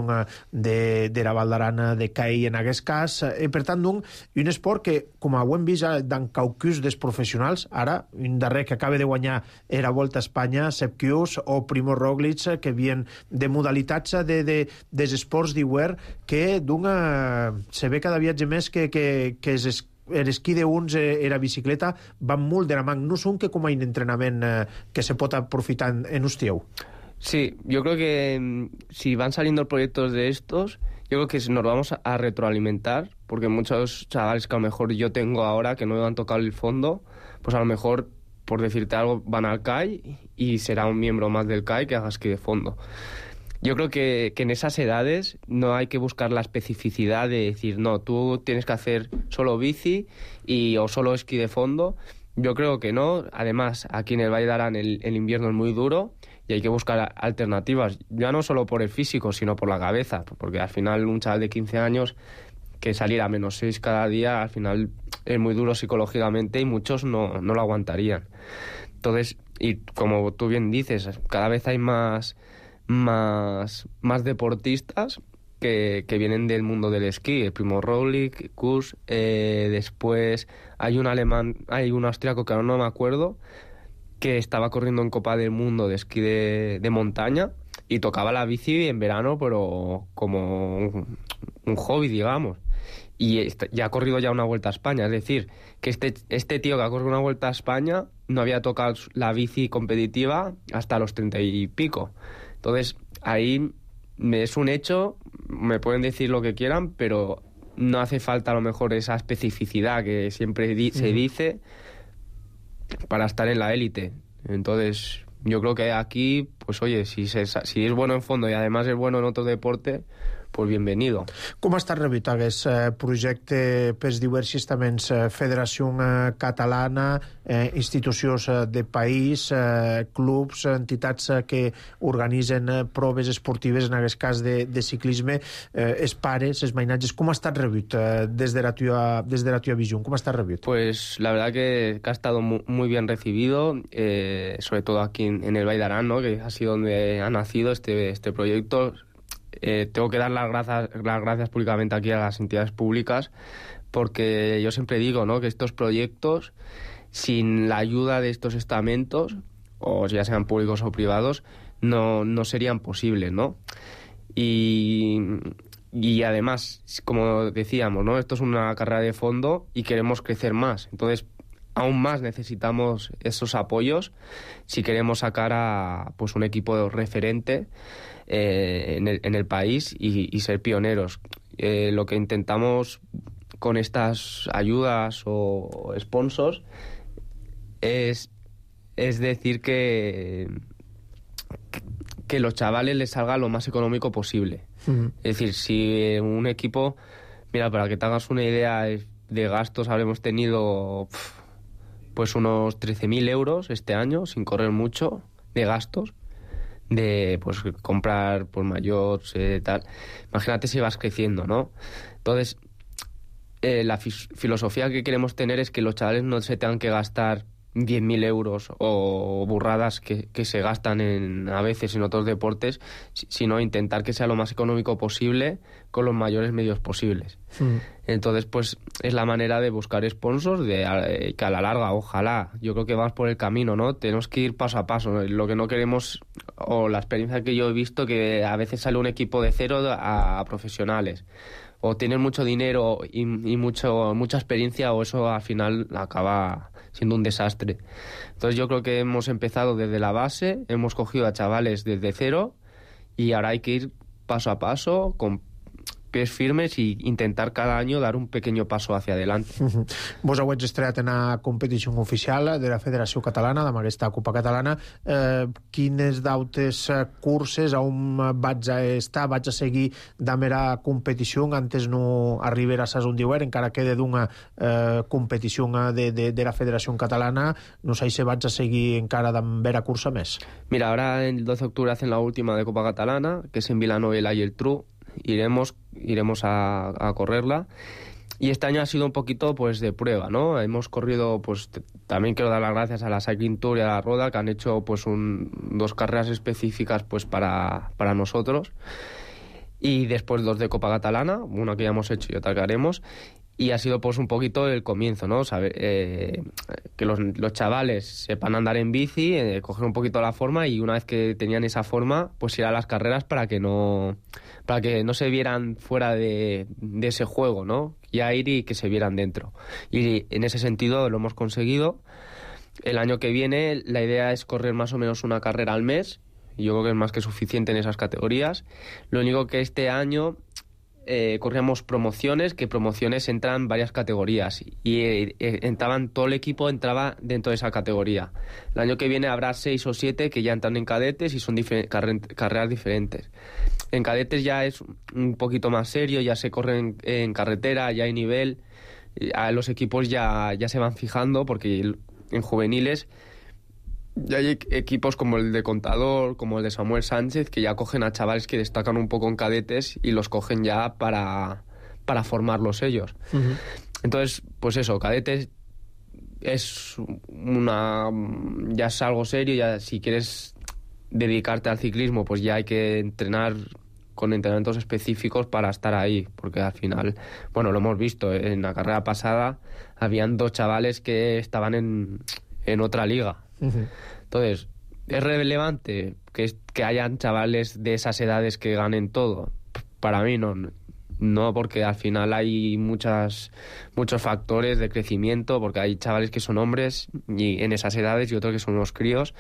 de, de la Val d'Aran de Caí en aquest cas, i per tant d'un un esport que, com ho hem vist d'en caucus dels professionals, ara un darrer que acaba de guanyar era Volta a Espanya, Sepp Kuss o Primo Roglic, que vien de modalitats de, de, dels esports d'hivern que d'un se ve cada viatge més que, que, que és l'esquí d'uns i la bicicleta van molt de la mà. No són que com a un entrenament eh, que se pot aprofitar en, en Ustieu. Sí, yo creo que si van saliendo proyectos de estos, yo creo que nos vamos a retroalimentar, porque muchos chavales que a lo mejor yo tengo ahora que no han tocado el fondo, pues a lo mejor, por decirte algo, van al C A I y será un miembro más del C A I que haga esquí de fondo. Yo creo que, que en esas edades no hay que buscar la especificidad de decir, no, tú tienes que hacer solo bici y, o solo esquí de fondo. Yo creo que no. Además, aquí en el Valle de Arán el, el invierno es muy duro y hay que buscar alternativas, ya no solo por el físico, sino por la cabeza, porque al final un chaval de quince años que salir a menos seis cada día, al final es muy duro psicológicamente y muchos no, no lo aguantarían. Entonces, y como tú bien dices, cada vez hay más... Más, más deportistas que, que vienen del mundo del esquí, el Primo Roglic, Kuss, eh, después hay un alemán, hay un austriaco que ahora no me acuerdo, que estaba corriendo en Copa del Mundo de esquí de, de montaña y tocaba la bici en verano, pero como un, un hobby, digamos. y ya ha corrido ya una Vuelta a España. Es decir, que este, este tío que ha corrido una Vuelta a España no había tocado la bici competitiva hasta los treinta y pico. Entonces, ahí es un hecho, me pueden decir lo que quieran, pero no hace falta a lo mejor esa especificidad que siempre di- se dice para estar en la élite. Entonces, yo creo que aquí, pues oye, si, se, si es bueno en fondo y además es bueno en otro deporte, pues bienvenido. Com ha estat rebut aquest eh, projecte pels diversos estaments, eh, Federació eh, Catalana, eh, institucions eh, de país, eh, clubs, entitats eh, que organitzen eh, proves esportives, en aquest cas de, de ciclisme, eh, els pares, els mainatges, com ha estat rebut eh, des de la teva, des de la teva visió? Com ha estat rebut? Pues la verdad que, que ha estado muy, muy bien recibido, eh, sobre todo aquí en, en el Vall d'Aran, ¿no? Que ha sido donde ha nacido este, este proyecto. Eh, tengo que dar las gracias, las gracias públicamente aquí a las entidades públicas, porque yo siempre digo, ¿no?, que estos proyectos, sin la ayuda de estos estamentos, o ya sean públicos o privados, no, no serían posibles, ¿no? Y, y además, como decíamos, ¿no?, esto es una carrera de fondo y queremos crecer más. Entonces, aún más necesitamos esos apoyos si queremos sacar a pues un equipo referente eh, en, el, en el país y, y ser pioneros. Eh, lo que intentamos con estas ayudas o sponsors es, es decir que, que los chavales les salga lo más económico posible. Uh-huh. Es decir, si un equipo, mira, para que te hagas una idea de gastos, habremos tenido pff, pues unos trece mil euros este año, sin correr mucho, de gastos, de pues comprar por mayor, eh, tal. Imagínate si vas creciendo, ¿no? Entonces, eh, la fi- filosofía que queremos tener es que los chavales no se tengan que gastar diez mil euros o burradas que, que se gastan en, a veces en otros deportes, sino intentar que sea lo más económico posible con los mayores medios posibles. Mm. Entonces, pues es la manera de buscar sponsors, de eh, que a la larga, ojalá, yo creo que vas por el camino, ¿no? Tenemos que ir paso a paso, ¿no? Lo que no queremos, o la experiencia que yo he visto, que a veces sale un equipo de cero a, a profesionales, o tienen mucho dinero y, y mucho mucha experiencia, o eso al final acaba siendo un desastre. Entonces yo creo que hemos empezado desde la base, hemos cogido a chavales desde cero y ahora hay que ir paso a paso, con pies firmes i intentar cada any dar un pequeño paso hacia adelante. Uh-huh. Vos heu estrenat en la competició oficial de la Federació Catalana, amb aquesta Copa Catalana. Eh, quines d'autes curses on vaig a estar, vaig a seguir damb era competició antes no arribar a un diuer, encara quede d'una eh, competició de, de, de la Federació Catalana, no sé si vaig a seguir encara damb era cursa més. Mira, ahora el doce de octubre hacen la última de Copa Catalana, que es en Villanueva y el Tru. Iremos, iremos a, a correrla. Y este año ha sido un poquito pues de prueba, ¿no? Hemos corrido, pues t- también quiero dar las gracias a la Cycling Tour y a la Roda, que han hecho pues un, dos carreras específicas pues para, para nosotros. Y después dos de Copa Catalana, una que ya hemos hecho y otra que haremos. Y ha sido pues un poquito el comienzo, ¿no? Saber, eh, que los, los chavales sepan andar en bici, eh, coger un poquito la forma, y una vez que tenían esa forma, pues ir a las carreras para que no, para que no se vieran fuera de, de ese juego, ¿no? Ya ir y que se vieran dentro. Y en ese sentido lo hemos conseguido. El año que viene la idea es correr más o menos una carrera al mes. Yo creo que es más que suficiente en esas categorías. Lo único que este año eh, corríamos promociones, que promociones entran varias categorías y eh, eh, entraban, todo el equipo entraba dentro de esa categoría. El año que viene habrá seis o siete que ya entran en cadetes y son difer- carre- carreras diferentes. En cadetes ya es un poquito más serio, ya se corren en, en carretera, ya hay nivel, a los equipos ya, ya se van fijando, porque en juveniles ya hay equipos como el de Contador, como el de Samuel Sánchez, que ya cogen a chavales que destacan un poco en cadetes y los cogen ya para, para formarlos ellos. Uh-huh. Entonces, pues eso, cadetes es una, ya es algo serio. Ya si quieres dedicarte al ciclismo, pues ya hay que entrenar con entrenamientos específicos para estar ahí, porque al final, bueno, lo hemos visto, en la carrera pasada habían dos chavales que estaban en, en otra liga. Uh-huh. Entonces, ¿es relevante que, que hayan chavales de esas edades que ganen todo? Para mí no, No, porque al final hay muchas, muchos factores de crecimiento, porque hay chavales que son hombres y en esas edades y otros que son unos críos.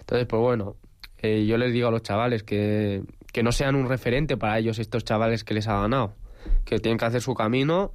Entonces, pues bueno, eh, yo les digo a los chavales que, que no sean un referente para ellos estos chavales que les ha ganado, que tienen que hacer su camino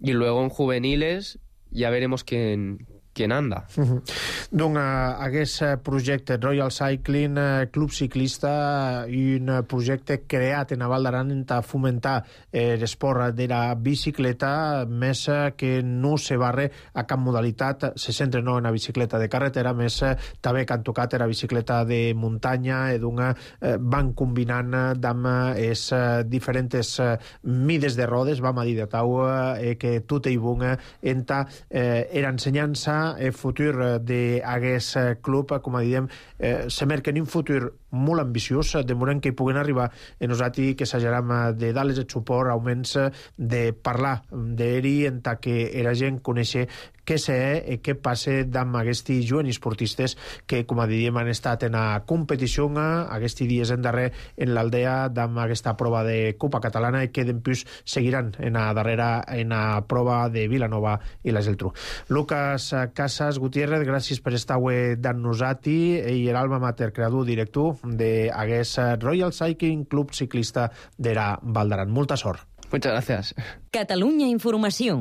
y luego en juveniles ya veremos quién, quién anda. Uh-huh. Donc, uh, aquest projecte Royal Cycling uh, Club Ciclista, un projecte creat en Val d'Aran per fomentar eh, l'esport de la bicicleta, més uh, que no se barre a cap modalitat, se centra no en la bicicleta de carretera, més uh, també que han tocat la bicicleta de muntanya, i donc uh, van combinant amb les uh, diferents uh, mides de rodes, vam a dir de tau, uh, que tot i bon enta eh, era ensenyança el futur d'aquest club, com a diem, eh, se merca en un futur molt ambiciós, demorem que hi puguen arribar i nosaltres que s'ajaram de dar-les el suport, augments de parlar d'ell en tant que la gent coneixer què sé i què passa amb aquests joves esportistes que, com a diem, han estat en la competició aquests dies en darrer en l'Aldea amb aquesta prova de Copa Catalana i que després seguiran en la darrera en la prova de Vilanova i la Geltrú. Lucas Casas Gutiérrez, gràcies per estar avui amb nosaltres, i l'alma mater, creador, director d'aquest Royal Cycling Club Ciclista de la Val d'Aran. Molta sort. Muchas gracias. Catalunya Informació.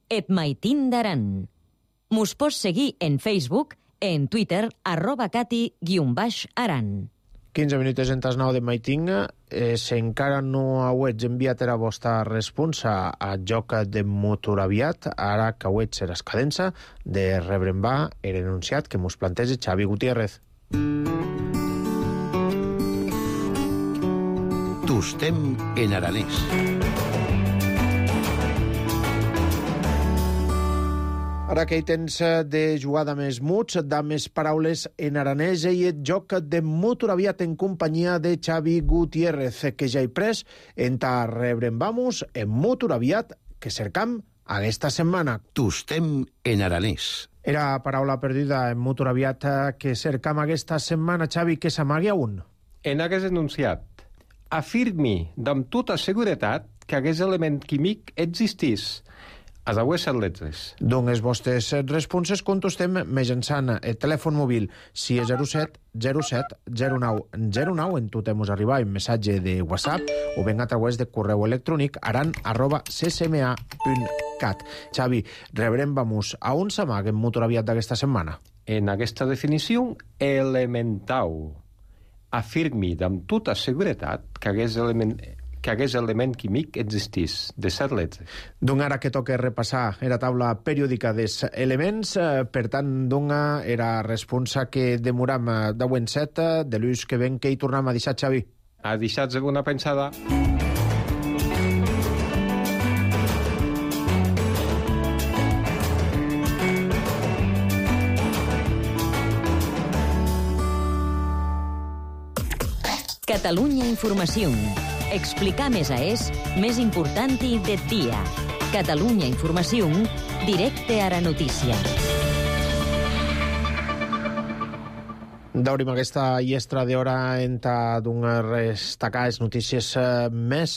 Et Maitín d'Aran. Mos pots seguir en Facebook, en Twitter, arroba cati guion baix aran. quinze minuts en tas nou de Maitín. Eh, si encara no heu enviat la vostra responsa a joc de motor aviat, ara que heu ser escadença de rebre'n va el enunciat que mos planteja Xavi Gutiérrez. Tostem en aranès. Ara que hi tens de jugada més muts, de més paraules en aranès, i el joc de motor aviat en companyia de Xavi Gutiérrez, que ja he pres en ta rebre'n vamos en motor aviat que cercam aquesta setmana. Tostem en aranès. Era paraula perduda en motor aviat que cercam aquesta setmana, Xavi, que s'amagui a un. En aquest enunciat, afirmi amb tota seguretat que aquest element químic existís. A les set lletres. Doncs les vostres responses contestem mitjançant el telèfon mòbil sis zero set zero set zero nou zero nou, en tot hemos arribat un missatge de WhatsApp o ben a través de correu electrònic aran arroba c c m a punt cat. Xavi, rebrem vamos a on s'amaga en motor aviat d'aquesta setmana? En aquesta definició, elementau. Afirmi amb tota seguretat que aquest element... que aquest element químic existís, de set lletres. Doncs ara que toca repassar la taula periòdica dels elements, eh, per tant, dona era responsa que demoram deu en set, de l'ús que ven que hi tornem a deixar, Xavi. A deixar alguna pensada. Catalunya Informació. Explicar més a és més important i de dia. Catalunya Informació, directe a la notícia. Daurim aquesta llestra d'hora en ta donar destacar les notícies més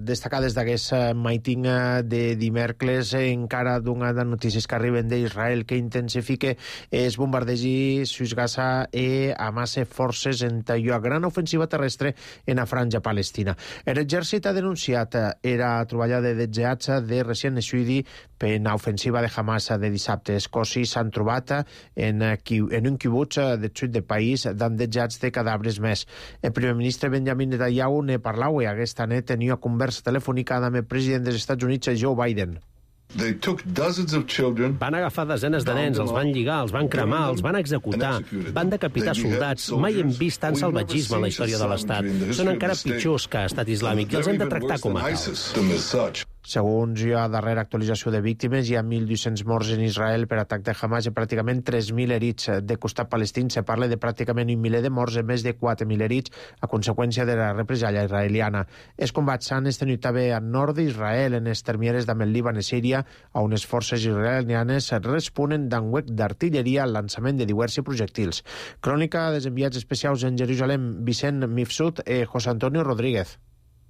destacades d'aquest maiting de dimecres, encara donar de notícies que arriben d'Israel que intensifica els bombardejos sus Gaza i amassa forces en la gran ofensiva terrestre en la franja palestina. L'exèrcit ha denunciat era troballada de jetjats de recient naixudi per l'ofensiva de Hamas de dissabte. Els cossos s'han trobat en, en un quibuts de sud de país amb jetjats de cadàvers més. El primer ministre Benjamin Netanyahu ne parlau i aquesta nit tenia conversa telefònica amb el president dels Estats Units, Joe Biden. Van agafar desenes de nens, els van lligar, els van cremar, els van executar, van decapitar soldats. Mai hem vist tant salvatgisme en la història de l'Estat. Són encara pitjors que Estat Islàmic i els hem de tractar com a tals. Segons la darrera actualització de víctimes, hi ha mil dos-cents morts en Israel per atac de Hamas i pràcticament tres mil herits. De costat palestín se parla de pràcticament un miler de morts i més de quatre mil herits a conseqüència de la represàlia israeliana. Els combats s'han estenut també al nord d'Israel, en les termieres amb el Líban i Síria, on les forces israelianes responen d'un huec d'artilleria al lançament de diversos projectils. Crònica dels enviats especials en Jerusalem, Vicent Mifsud i José Antonio Rodríguez.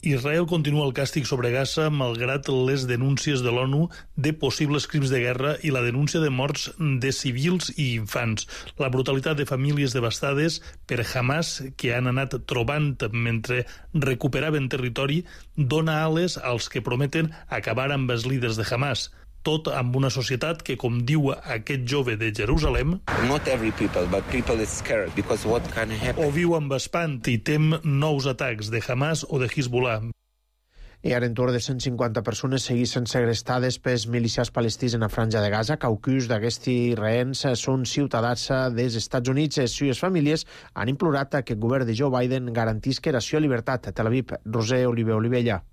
Israel continua el càstig sobre Gaza malgrat les denúncies de l'ONU de possibles crims de guerra i la denúncia de morts de civils i infants. La brutalitat de famílies devastades per Hamas que han anat trobant mentre recuperaven territori dona ales als que prometen acabar amb els líders de Hamas. Tot amb una societat que, com diu aquest jove de Jerusalem, o viu amb espant i tem nous atacs de Hamas o de Hezbollah. I ara en torn de cent cinquanta persones seguissin segrestades pels milicians palestins en la franja de Gaza. Caucus d'aquests rehens són ciutadans dels Estats Units. Les seves famílies han implorat que el govern de Joe Biden garantisca ració i llibertat. A Tel Aviv, Roser Oliver Olivella.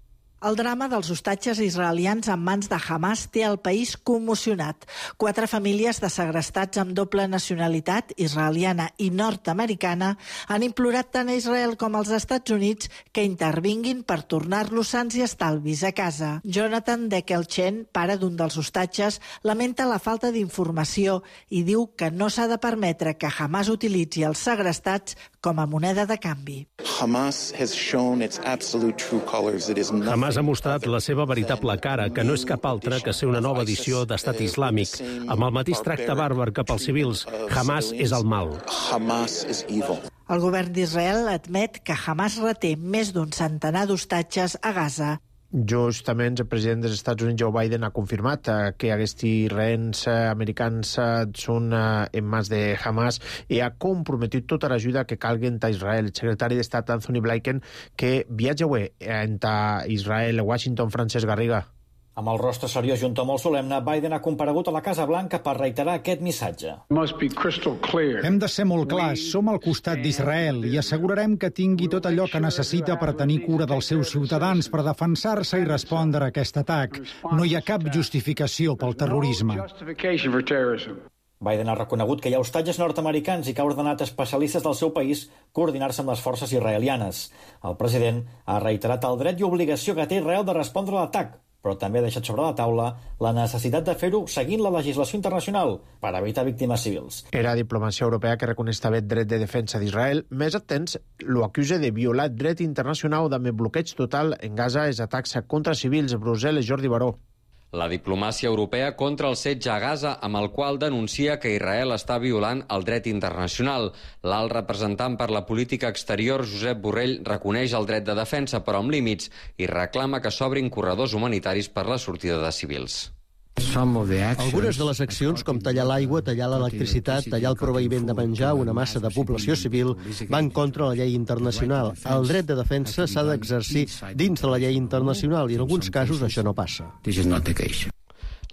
El drama dels hostatges israelians en mans de Hamas té el país commocionat. Quatre famílies de segrestats amb doble nacionalitat, israeliana i nord-americana, han implorat tant a Israel com als Estats Units que intervinguin per tornar-los sants i estalvis a casa. Jonathan Dekelchen, pare d'un dels hostatges, lamenta la falta d'informació i diu que no s'ha de permetre que Hamas utilitzi els segrestats com a moneda de canvi. Hamas has shown its absolute true colors. It is Hamas ha mostrat la seva veritable cara, que no és cap altra que ser una nova edició d'estat islàmic, amb el mateix tracte bàrbar cap als civils. Hamas és el mal. Hamas is evil. El govern d'Israel admet que Hamas reté més d'un centenar d'hostatges a Gaza. Justament el president dels Estats Units, Joe Biden, ha confirmat que aquests rehens americans són en mans de Hamas i ha comprometit tota l'ajuda que calgui a Israel. El secretari d'Estat, Anthony Blinken, que viatja avui a Israel, a Washington, Francesc Garriga. Amb el rostre seriós i un to molt solemne, Biden ha comparegut a la Casa Blanca per reiterar aquest missatge. Hem de ser molt clars, som al costat d'Israel i assegurarem que tingui tot allò que necessita per tenir cura dels seus ciutadans, per defensar-se i respondre a aquest atac. No hi ha cap justificació pel terrorisme. Biden ha reconegut que hi ha hostatges nord-americans i que ha ordenat a especialistes del seu país coordinar-se amb les forces israelianes. El president ha reiterat el dret i obligació que té Israel de respondre a l'atac, però també ha deixat sobre la taula la necessitat de fer-ho seguint la legislació internacional per evitar víctimes civils. Era diplomacia europea que reconeix també el dret de defensa d'Israel. Més atents, lo acusa de violar dret internacional amb el bloqueig total en Gaza els atacs contra civils. Brussel·les, Jordi Baró. La diplomàcia europea contra el setge a Gaza, amb el qual denuncia que Israel està violant el dret internacional. L'alt representant per la política exterior, Josep Borrell, reconeix el dret de defensa, però amb límits, i reclama que s'obrin corredors humanitaris per la sortida de civils. Algunes de les accions, com tallar l'aigua, tallar l'electricitat, tallar el proveïment de menjar a una massa de població civil, van contra la llei internacional. El dret de defensa s'ha d'exercir dins de la llei internacional i en alguns casos això no passa.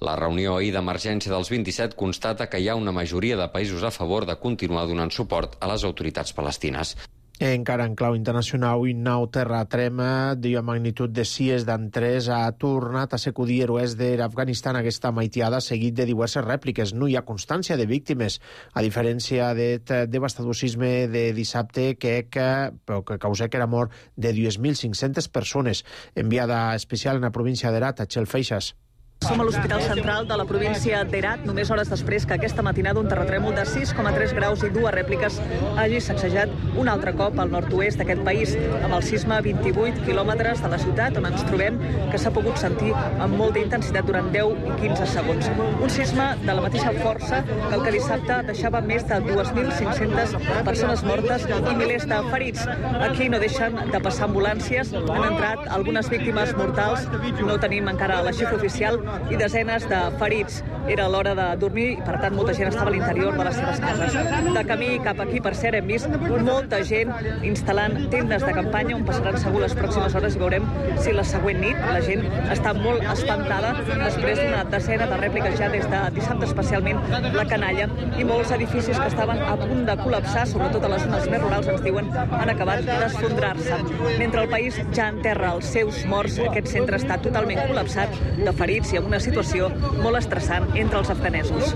La reunió ahir d'emergència dels vint-i-set constata que hi ha una majoria de països a favor de continuar donant suport a les autoritats palestines. Encara en clau internacional, un nou terratrema de magnitud de sis d'en tres ha tornat a sacudir l'oest d'Afganistan aquesta maitiada, seguit de diverses rèpliques. No hi ha constància de víctimes, a diferència del devastador sisme de dissabte que, que, que causà que era mort de dues mil cinc-centes persones. Enviada especial en la província d'Herat, a Txell Feixas. Som a l'Hospital Central de la província d'Herat, només hores després que aquesta matinada un terratrèmol de sis coma tres graus i dues rèpliques hagi sacsejat un altre cop al nord-oest d'aquest país, amb el sisme a vint-i-vuit quilòmetres de la ciutat, on ens trobem, que s'ha pogut sentir amb molta intensitat durant deu i quinze segons. Un sisme de la mateixa força que el que dissabte deixava més de dues mil cinc-centes persones mortes i milers de ferits. Aquí no deixen de passar ambulàncies, han entrat algunes víctimes mortals, no tenim encara la xifra oficial, i desenes de ferits. Era l'hora de dormir i, per tant, molta gent estava a l'interior de les seves cases. De camí cap aquí, per cert, hem vist molta gent instal·lant tendes de campanya on passaran segur les pròximes hores i veurem si la següent nit la gent està molt espantada després d'una desena de rèpliques ja des de dissabte, especialment la Canalla, i molts edificis que estaven a punt de col·lapsar, sobretot a les zones més rurals, ens diuen, han acabat d'esfondrar-se. Mentre el país ja enterra els seus morts, aquest centre està totalment col·lapsat de ferits i amb una situació molt estressant entre els afganesos.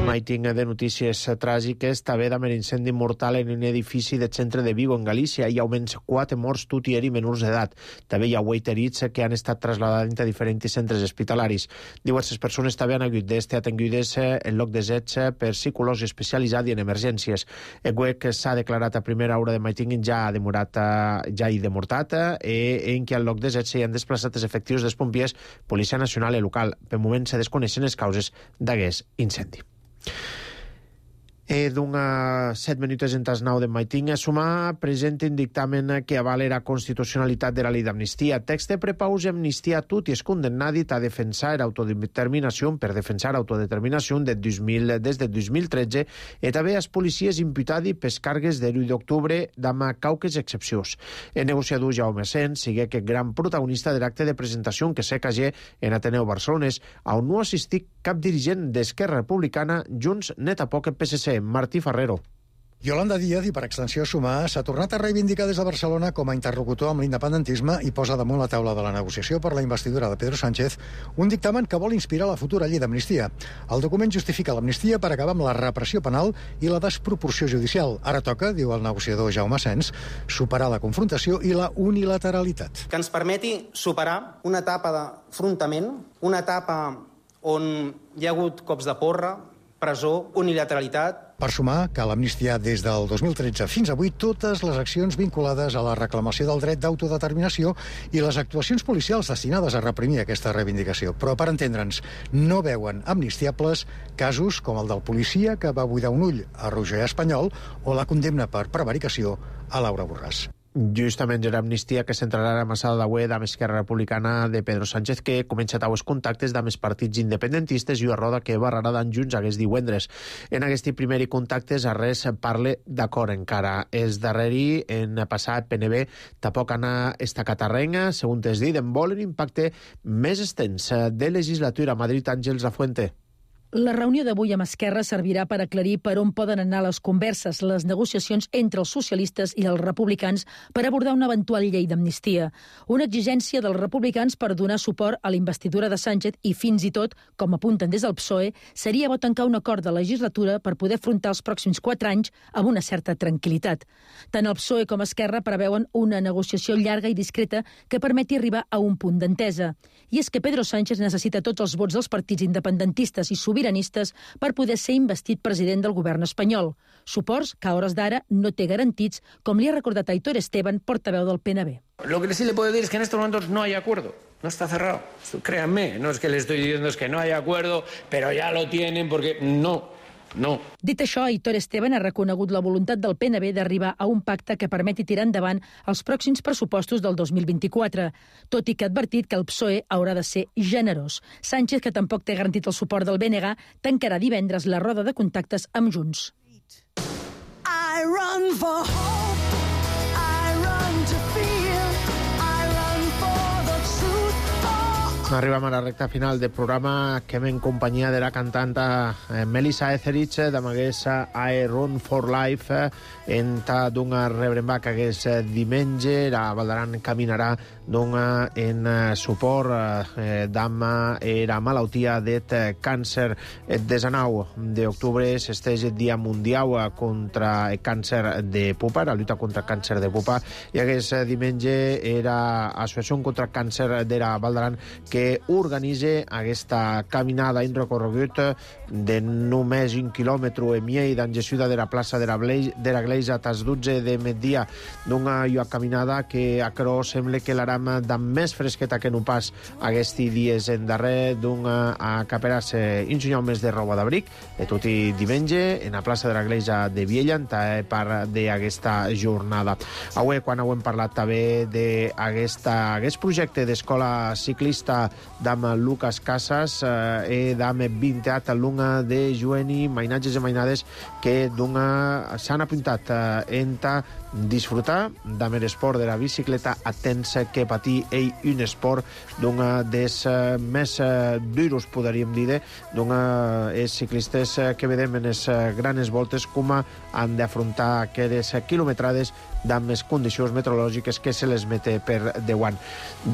Maiting de notícies tràgiques, també d'un incendi mortal en un edifici del centre de Vigo, en Galícia. Hi ha almenys quatre morts, tot i menors d'edat. També hi ha vuit ferits que han estat trasladats a diferents centres hospitalaris. Diverses persones també han hagut d'estar atengudes en lloc de zets per psicologia especialitzada i en emergències. El que s'ha declarat a primera hora de Maiting ja ha demorat, ja hi demortat, eh, en què al lloc de zets s'hi han desplaçat els efectius dels pompiers, Policia Nacional i local. Per moment se desconeixen les causes d'aquest incendi. Eh, D'una set minuts en tas nou de Maiting, Sumar presenta un dictamen que avala la constitucionalitat de la llei d'amnistia. Text de prepaus i amnistia a tot i es condemnat a defensar autodeterminació per defensar autodeterminació des de dos mil tretze i també als policies imputats pels cargues de l'u d'octubre d'ama cauques excepcions. El negociador Jaume Sens sigue que gran protagonista de l'acte de presentació que s'ha cagé en Ateneu Barcelones, on no assistit cap dirigent d'Esquerra Republicana, Junts, net a poc P S C. Martí Ferrero. Yolanda Díaz, i per extensió Sumar, s'ha tornat a reivindicar des de Barcelona com a interlocutor amb l'independentisme i posa damunt la taula de la negociació per la investidura de Pedro Sánchez un dictamen que vol inspirar la futura llei d'amnistia. El document justifica l'amnistia per acabar amb la repressió penal i la desproporció judicial. Ara toca, diu el negociador Jaume Sens, superar la confrontació i la unilateralitat. Que ens permeti superar una etapa d'afrontament, una etapa on hi ha hagut cops de porra, presó, unilateralitat. Per Sumar, cal amnistiar des del dos mil tretze fins avui totes les accions vinculades a la reclamació del dret d'autodeterminació i les actuacions policials destinades a reprimir aquesta reivindicació. Però, per entendre'ns, no veuen amnistiables casos com el del policia que va buidar un ull a Roger Espanyol o la condemna per prevaricació a Laura Borràs. Justament era amnistia que centrarà la massada d'avui amb Esquerra Republicana de Pedro Sánchez, que comença a els contactes amb els partits independentistes i una roda que barrarà d'en Junts aquest divendres. En aquest primer contactes a res parle d'acord encara. És darreri en passat P N B tampoc anar esta catarrenga, segons es dit, en vol un impacte més extens de legislatura a Madrid. Àngels Lafuente. La reunió d'avui amb Esquerra servirà per aclarir per on poden anar les converses, les negociacions entre els socialistes i els republicans per abordar una eventual llei d'amnistia. Una exigència dels republicans per donar suport a la investidura de Sánchez i fins i tot, com apunten des del P S O E, seria bo tancar un acord de legislatura per poder afrontar els pròxims quatre anys amb una certa tranquil·litat. Tant el P S O E com Esquerra preveuen una negociació llarga i discreta que permeti arribar a un punt d'entesa. I és que Pedro Sánchez necessita tots els vots dels partits independentistes i sobiranistes per poder ser investit president del govern espanyol. Suports que a hores d'ara no té garantits, com li ha recordat Aitor Esteban, portaveu del P N B. Lo que sí le puedo decir es que en estos momentos no hay acuerdo. No está cerrado. Créanme, no es que le estoy diciendo es que no hay acuerdo, pero ya lo tienen porque no. No. Dit això, Aitor Esteban ha reconegut la voluntat del P N B d'arribar a un pacte que permeti tirar endavant els pròxims pressupostos del dos mil vint-i-quatre, tot i que ha advertit que el P S O E haurà de ser generós. Sánchez, que tampoc té garantit el suport del B N G, tancarà divendres la roda de contactes amb Junts. I run for hope, I run to feel, I run for the truth. Arribem a la recta final del programa que hem en companyia de la cantant eh, Melissa Etheridge amb aquest I Run for Life eh, en ta d'una rebrembac aquest eh, diumenge. La Valdaran caminarà d'una en eh, suport eh, d'ama era malaltia d'et eh, càncer. El desenau d'octubre s'esteix el Dia Mundial contra el càncer de pupa, la lluita contra el càncer de pupa, i aquest eh, diumenge era Associació contra el Càncer de la Valdaran que organitza aquesta caminada en recorregut de només un quilòmetre i mig d'engesuda de la plaça de la, de la Gleisa a les dotze de migdia, d'una caminada que a Cró sembla que l'aram de més fresqueta que no pas aquests dies en darrer, d'una a caperar-se un senyal més de roba d'abric de tot i diumenge en la plaça de la Gleisa de Viella en part d'aquesta jornada. Avui, quan hem parlat també d'aquest projecte d'escola ciclista d'am Lucas Casas eh, e d'am vintat alumne de jueni, mainatges i mainades que s'han apuntat eh, enta disfrutar d'am l'esport de la bicicleta atents que patir ell un esport d'una des eh, més eh, duros, podríem dir, d'una eh, ciclistes eh, que vedem en les eh, grans voltes com han d'afrontar aquelles quilometrades d'am les condicions meteorològiques que se les mete per deuant.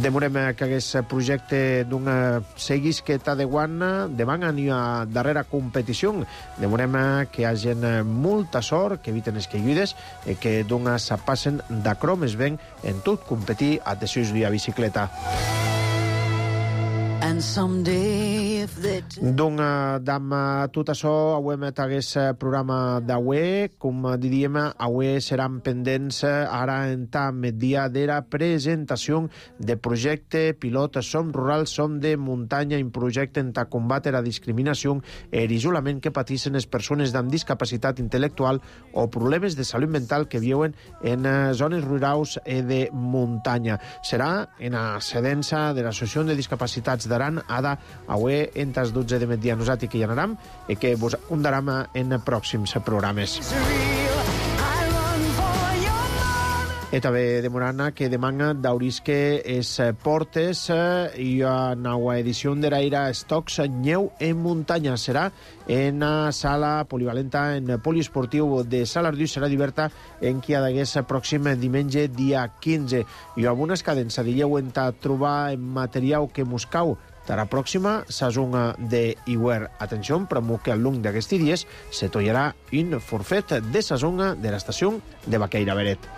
Demorem que aquest projecte d'un seguís que t'ha de guana, demà n'hi ha darrera competició. Demorem que hi hagi molta sort, que eviten les caigudes, i que d'un s'apassen d'acrò més ben en tot competir a desús via bicicleta. Doncs, dam tot això, avui m'atagués programa d'avui. Com diríem, avui seran pendents ara en tam dia de la presentació de projecte pilot Som Rural, Som de Muntanya, un projecte en combatre la discriminació i l'isolament que pateixen les persones amb discapacitat intel·lectual o problemes de salut mental que viuen en zones rurals i de muntanya. Serà en la sedença de l'Associació de Discapacitats d'Aran, ada avui entre les dotze de migdia nosaltres que hi anaram i que vos contarem en pròxims programes. I també demorant que demana d'aurisque es portes i a nova edició de l'Aire Estocs Nyeu en muntanya. Serà en la sala polivalenta en poliesportiu de Salardú, serà diverta en qui ha d'hagués pròxim diumenge dia quinze. I amb unes cadences de lleu en trobar material que muscau de la pròxima sazonga de Iguer. Atenció, però que al long d'aquests dies se tollarà un forfet de sazonga de l'estació de Baqueira Beret.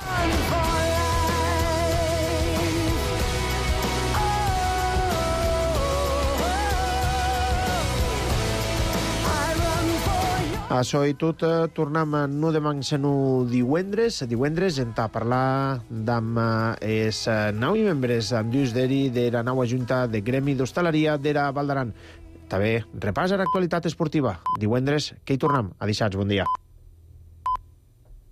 Això i tot, tornem no demà sinó divendres. Divendres hem de parlar amb els nou membres andús d'eri de la nova Junta de Gremi d'Hostaleria de la Val d'Aran. També repàs a l'actualitat esportiva. Divendres que hi tornem. A dissabte, bon dia.